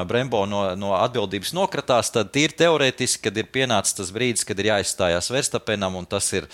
[SPEAKER 3] Brembo no, no atbildības nokratās, tad ir teorētiski, kad ir pienācis tas brīdis, kad ir jāizstājās Verstappenam, un tas ir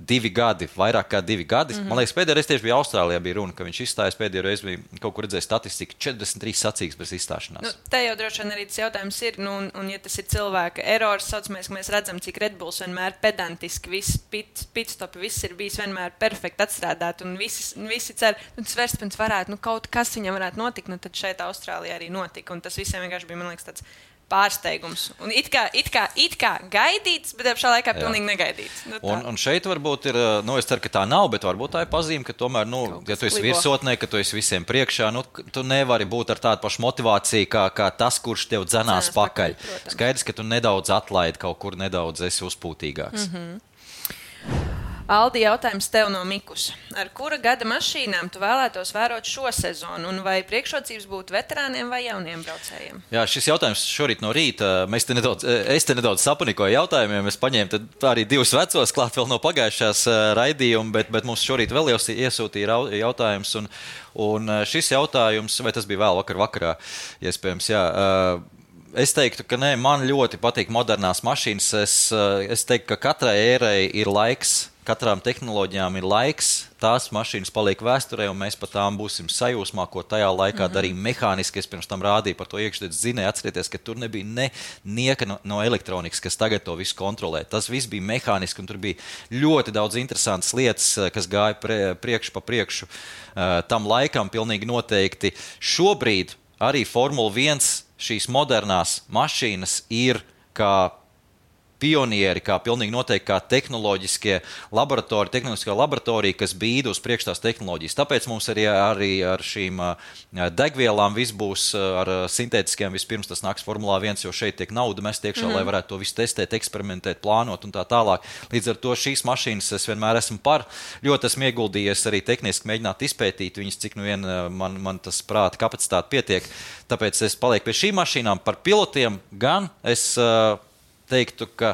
[SPEAKER 3] divi gadi, vairāk kā divi gadi. Mm-hmm. Man liekas, pēdējā reize tieši bija Austrālijā bija runa, ka viņš izstājas, pēdējā reize bija kaut kur redzēja statistiku, četrdesmit trīs sacīgas bez izstāšanās.
[SPEAKER 2] Nu, te jau droši vien arī tas jautājums ir, nu, un, un ja tas ir cilvēka erors, saucamies, ka mēs redzam, cik Red Bulls vienmēr pedantiski, viss pit, pitstopi, viss ir bijis vienmēr perfekti atstrādāt, un visi, visi cer, nu, tas Verstappens varētu, nu, kaut kas viņam varētu notikt, nu, tad šeit Austrālijā arī notika, un tas visiem vienkārši bija, man liekas, tāds pārsteigums. Un it kā, it kā, it kā gaidīts, bet apšā laikā pilnīgi negaidīts. Nu,
[SPEAKER 3] un, un šeit varbūt ir, nu, es ceru, ka tā nav, bet varbūt tā ir pazīme, ka tomēr, nu, ja tu esi virsotnē, ka tu esi visiem priekšā, nu, tu nevari būt ar tādu pašu motivāciju, kā, kā tas, kurš tev dzenās pakaļ. pakaļ Skaidrs, ka tu nedaudz atlaidi kaut kur, nedaudz esi uzpūtīgāks.
[SPEAKER 2] Mm-hmm. Aldi, jautājums tev no Mikus. Ar kura gada mašīnām tu vēlētos vērot šo sezonu? Un vai priekšrocības būtu veterāniem vai jauniem braucējiem?
[SPEAKER 3] Jā, šis jautājums šorīt no rīta, mēs te nedaudz, es te nedaudz sapanikoju jautājumiem. Es paņēmu arī divus vecos klāt vēl no pagājušās raidījuma, bet, bet mums šorīt vēl jau iesūtīja jautājums. Un, un šis jautājums, vai tas bija vēl vakar vakarā, iespējams, jā. Es teiktu, ka nē, man ļoti patīk modernās mašīnas. Es, es teiktu, ka katrai ērai ir laiks. Katrām tehnoloģijām ir laiks, tās mašīnas paliek vēsturē, un mēs par tām būsim sajūsmā, ko tajā laikā mm-hmm. darīja mehāniski. Es pirms tam rādīju par to iekšdedz zinēju, atcerieties, ka tur nebija ne nieka no, no elektronikas, kas tagad to visu kontrolē. Tas viss bija mehāniski, un tur bija ļoti daudz interesantas lietas, kas gāja pre, priekš pa priekšu uh, tam laikam pilnīgi noteikti. Šobrīd arī Formula viens šīs modernās mašīnas ir kā pionieri, kā pilnīgi noteikti kā tehnoloģiskie laboratorija, tehnoloģiskā laboratorija, kas bīda uz priekš tās tehnoloģijas. Tāpēc mums arī, arī ar šīm degvielām viss būs ar sintētiskiem. Vispirms tas nāks Formulā viens, jo šeit tiek nauda mest iekšā, mm-hmm. lai varētu to visu testēt, eksperimentēt, plānot un tā tālāk. Līdz ar to šīs mašīnas es vienmēr esmu par. Ļoti esmu ieguldījies arī tehniski mēģināt izpētīt viņas, cik nu vien man, man tas prāta kapacitāte pietiek. Tāpēc es palieku pie šīm mašīnām. Par pilotiem gan es teiktu, ka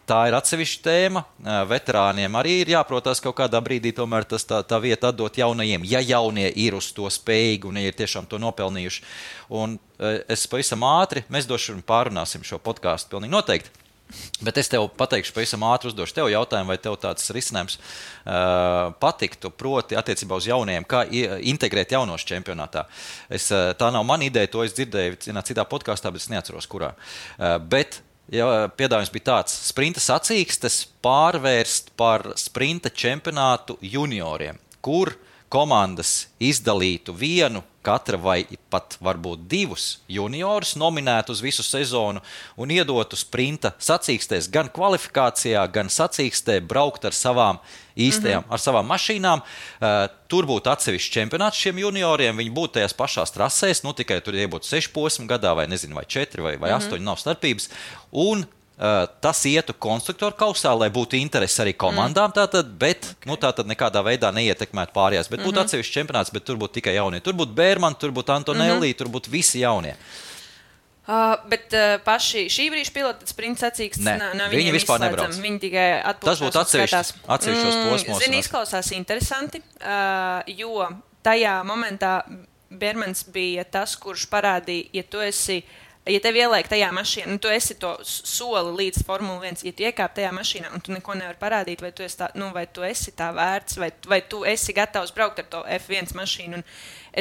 [SPEAKER 3] tā ir atsevišķa tēma. Veterāniem arī ir jāprotās kaut kādā brīdī tomēr tas tā, tā vieta atdot jaunajiem, ja jaunie ir uz to spējīgi un ja ir tiešām to nopelnījuši. Un es pavisam ātri, mēs došu un pārunāsim šo podcastu pilnīgi noteikti. Bet es tev pateikšu, pavisam ātri uzdošu tev jautājumu, vai tev tāds risinājums uh, patiktu, proti attiecībā uz jauniem, kā integrēt jaunos čempionātā. Es, tā nav mana ideja, to es dzirdēju citā podkastā, bet es neatceros, kurā. Uh, bet ja, piedāvājums bija tāds, sprinta sacīkstes pārvērst par sprinta čempionātu junioriem, kur komandas izdalītu vienu, katra vai pat varbūt divus juniorus nominētu uz visu sezonu un iedotu sprinta sacīkstēs gan kvalifikācijā, gan sacīkstē braukt ar savām īstajām, mm-hmm. ar savām mašīnām. Uh, tur būtu atsevišķi čempionāts šiem junioriem, viņi būtu tajās pašās trasēs, nu tikai tur iebūtu seši posmi gadā vai nezinu, vai četri vai, vai mm-hmm. astoņi, nav starpības. Un Uh, tas ietu konstruktoru kausā, lai būtu interesi arī komandām, mm. tātad, bet okay. nu, tātad nekādā veidā neietekmētu pārējās. Bet mm-hmm. būtu atsevišķi čempionāts, bet tur būtu tikai jaunie. Tur būtu Bērman, tur būtu Antonelli, mm-hmm. tur būtu visi jaunie.
[SPEAKER 2] Uh, bet uh, paši šī brīža pilota sprinta sacīkstes nav, nav
[SPEAKER 3] viņi vispār nebrauc.
[SPEAKER 2] Viņi tikai atpūšās.
[SPEAKER 3] Tas būtu atsevišķos mm, posmos.
[SPEAKER 2] Zini, izklausās interesanti, uh, jo tajā momentā Bērmans bija tas, kurš parādīja, ja tu esi Ja tev ieliek tajā mašīnā, nu, tu esi to soli līdz Formula viens, ja tu iekāp tajā mašīnā un tu neko nevar parādīt, vai tu esi tā, nu, vai tu esi tā vērts, vai, vai tu esi gatavs braukt ar to F viens mašīnu. Un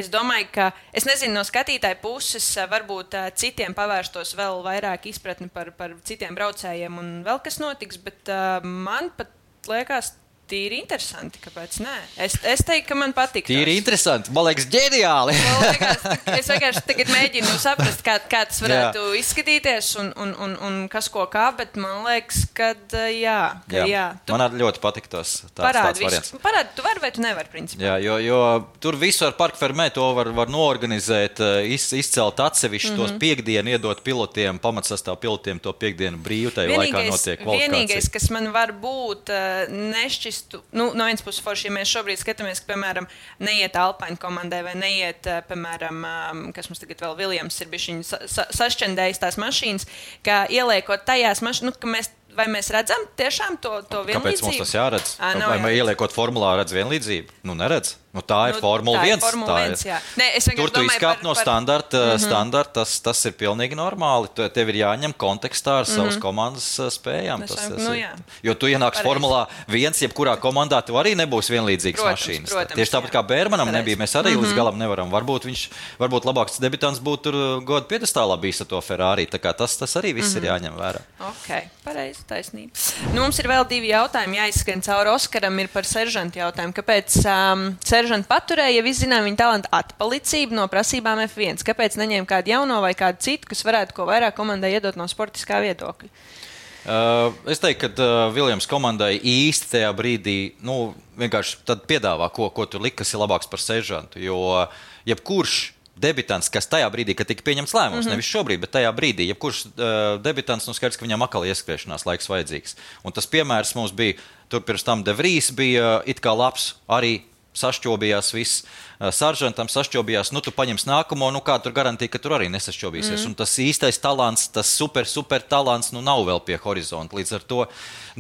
[SPEAKER 2] es domāju, ka, es nezinu, no skatītāja puses varbūt citiem pavērstos vēl vairāk izpratni par, par citiem braucējiem un vēl kas notiks, bet uh, man pat liekas, tīri interesanti, kāpēc nē? Es, es teiktu, ka man patīk.
[SPEAKER 3] Tīri interesanti, man liekas, ģeniāli.
[SPEAKER 2] Liekas, es vienkārši tagad mēģinu saprast, kā, kā tas varētu jā. izskatīties un, un, un, un kas ko kā, bet man liekas, ka jā. Ka, jā. jā. Tu
[SPEAKER 3] man ļoti patīk tos tāds, tāds variants.
[SPEAKER 2] Parādi, tu vari vai tu nevari, principā.
[SPEAKER 3] Jā, jo, jo tur visu ar Park Fermē to var, var noorganizēt, iz, izcelt atsevišķi mm-hmm. tos piekdienu, iedot pilotiem, pamatsastāv pilotiem to piekdienu brīvu, tajā laikā notiek kvalifikācija. Vienīgais,
[SPEAKER 2] kas man var būt nešķist Nu, no vienas puses forši, ja mēs šobrīd skatāmies, ka, piemēram, neiet Alpine komandai vai neiet, piemēram, kas mums tagad vēl Viljams ir bišķiņi sa- sa- sašķendējis tās mašīnas, ka ieliekot tajās mašīnas, nu, ka mēs, vai mēs redzam tiešām to, to vienlīdzību?
[SPEAKER 3] Kāpēc mums tas jāredz?
[SPEAKER 2] À,
[SPEAKER 3] vai mēs ieliekot formulā redz vienlīdzību? Nu, neredz. Nu, tā ir nu, Formula viens.
[SPEAKER 2] Formula viens jā. Nē,
[SPEAKER 3] Tur tu izkāp
[SPEAKER 2] par,
[SPEAKER 3] no
[SPEAKER 2] par...
[SPEAKER 3] standarta,
[SPEAKER 2] mm-hmm.
[SPEAKER 3] standarta tas, tas ir pilnīgi normāli. Tev ir jāņem kontekstā ar savas mm-hmm. komandas spējām. Tas, tas
[SPEAKER 2] nu,
[SPEAKER 3] ir, jo tu ienāks Pareiz. Formulā viens, jebkurā komandā tu arī nebūs vienlīdzīgas
[SPEAKER 2] protams,
[SPEAKER 3] mašīnas.
[SPEAKER 2] Protams,
[SPEAKER 3] Tieši tāpat
[SPEAKER 2] jā.
[SPEAKER 3] kā Bērmanam nebija, mēs arī mm-hmm. līdz galam nevaram. Varbūt viņš, varbūt labāks debitants būtu tur goda piedestālā bijis ar to Ferrari. Tā kā tas, tas arī viss mm-hmm. ir jāņem vērā.
[SPEAKER 2] Ok, pareizi, taisnība. Nu, mums ir vēl divi jautājumi jāizskan cauri Oskaram, ir par seržantu jautājumu. Kāpēc um, seržantu paturēja? Ja visi zinām viņa talantu atpalicību no prasībām F viens, kāpēc neņēma kādu jauno vai kādu citu, kas varētu ko vairāk komandai iedot no sportiskā viedokļa?
[SPEAKER 3] Uh, es teiktu, ka uh, Viljams komandai īsti tajā brīdī nu, vienkārši tad piedāvā, ko, ko tur likt, kas ir labāks par seržantu. Jo jebkurš debitants, kas tajā brīdī, kad tika pieņemts lēmums, mm-hmm. nevis šobrīd, bet tajā brīdī, jebkurš uh, debitants, nu skaidrs, ka viņam atkal ieskriešanās laiks vajadzīgs. Un tas piemērs mums bija, tur pirms tam De Vries bija it kā labs arī. Sašķobījās viss, saržantam sašķobījās, nu tu paņems nākamo, nu kā tur garantīja, ka tur arī nesašķobīsies. Mm. Un tas īstais talants, tas super, super talants, nu nav vēl pie horizonta. Līdz ar to,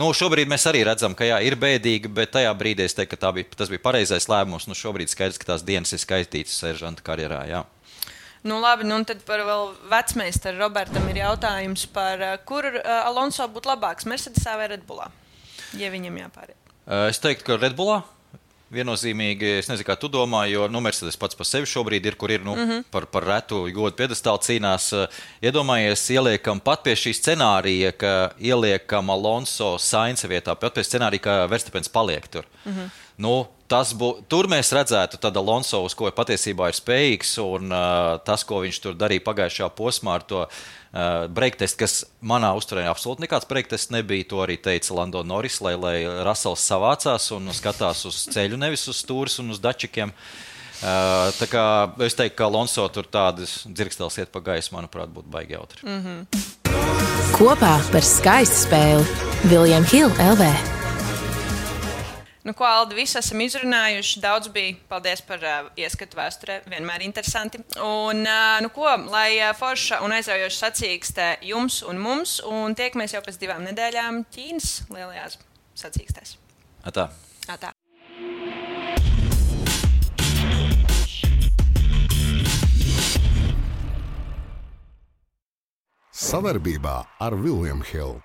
[SPEAKER 3] nu šobrīd mēs arī redzam, ka jā, ir bēdīgi, bet tajā brīdī es teiktu, ka tā bija, tas bija pareizais lēmums. Nu šobrīd skaidrs, ka tās dienas ir skaitītas seržanta karjerā, jā.
[SPEAKER 2] Nu labi, nu un tad par vēl vecmeistaru Robertam ir jautājums par, kur Alonso būtu labāks, Mercedesā vai Red Bullā, ja viņam jāpāriet?
[SPEAKER 3] Es teiktu, ka Red Bullā. Viennozīmīgi, es nezinu, kā tu domā, jo nu, Mercedes pats par sevi šobrīd ir, kur ir nu, mm-hmm. par, par retu godu piedestālu cīnās. Iedomājies, ieliekam pat pie šī scenārija, ka ieliekam Alonso Sainza vietā, pat pie scenārija, ka Verstappens paliek tur. Mm-hmm. Nu, tas bū, tur mēs redzētu tad Alonso, uz ko patiesībā ir spējīgs, un uh, tas, ko viņš tur darīja pagājušajā posmā ar to uh, breaktestu, kas manā uzturē absolūti nekāds breaktests nebija, to arī teica Lando Norris, lai, lai Russells savācās un skatās uz ceļu, nevis uz stūris un uz dačikiem. Uh, tā kā es teiktu, ka Alonso tur tādas dzirkstēls iet pa gaisu, manuprāt, būtu baigi jautri.
[SPEAKER 6] Mm-hmm. Kopā par skaistu spēli William Hill L V.
[SPEAKER 2] Nu, ko, Aldi, visi esam izrunājuši. Daudz bija. Paldies par uh, ieskatu vēsturē. Vienmēr interesanti. Un, uh, nu, ko, lai uh, forša un aizraujoša sacīkstē jums un mums. Un tiekamies jau pēc divām nedēļām Ķīnas lielajās sacīkstēs.
[SPEAKER 3] Atā.
[SPEAKER 2] Atā.
[SPEAKER 1] Savarbībā ar William Hill.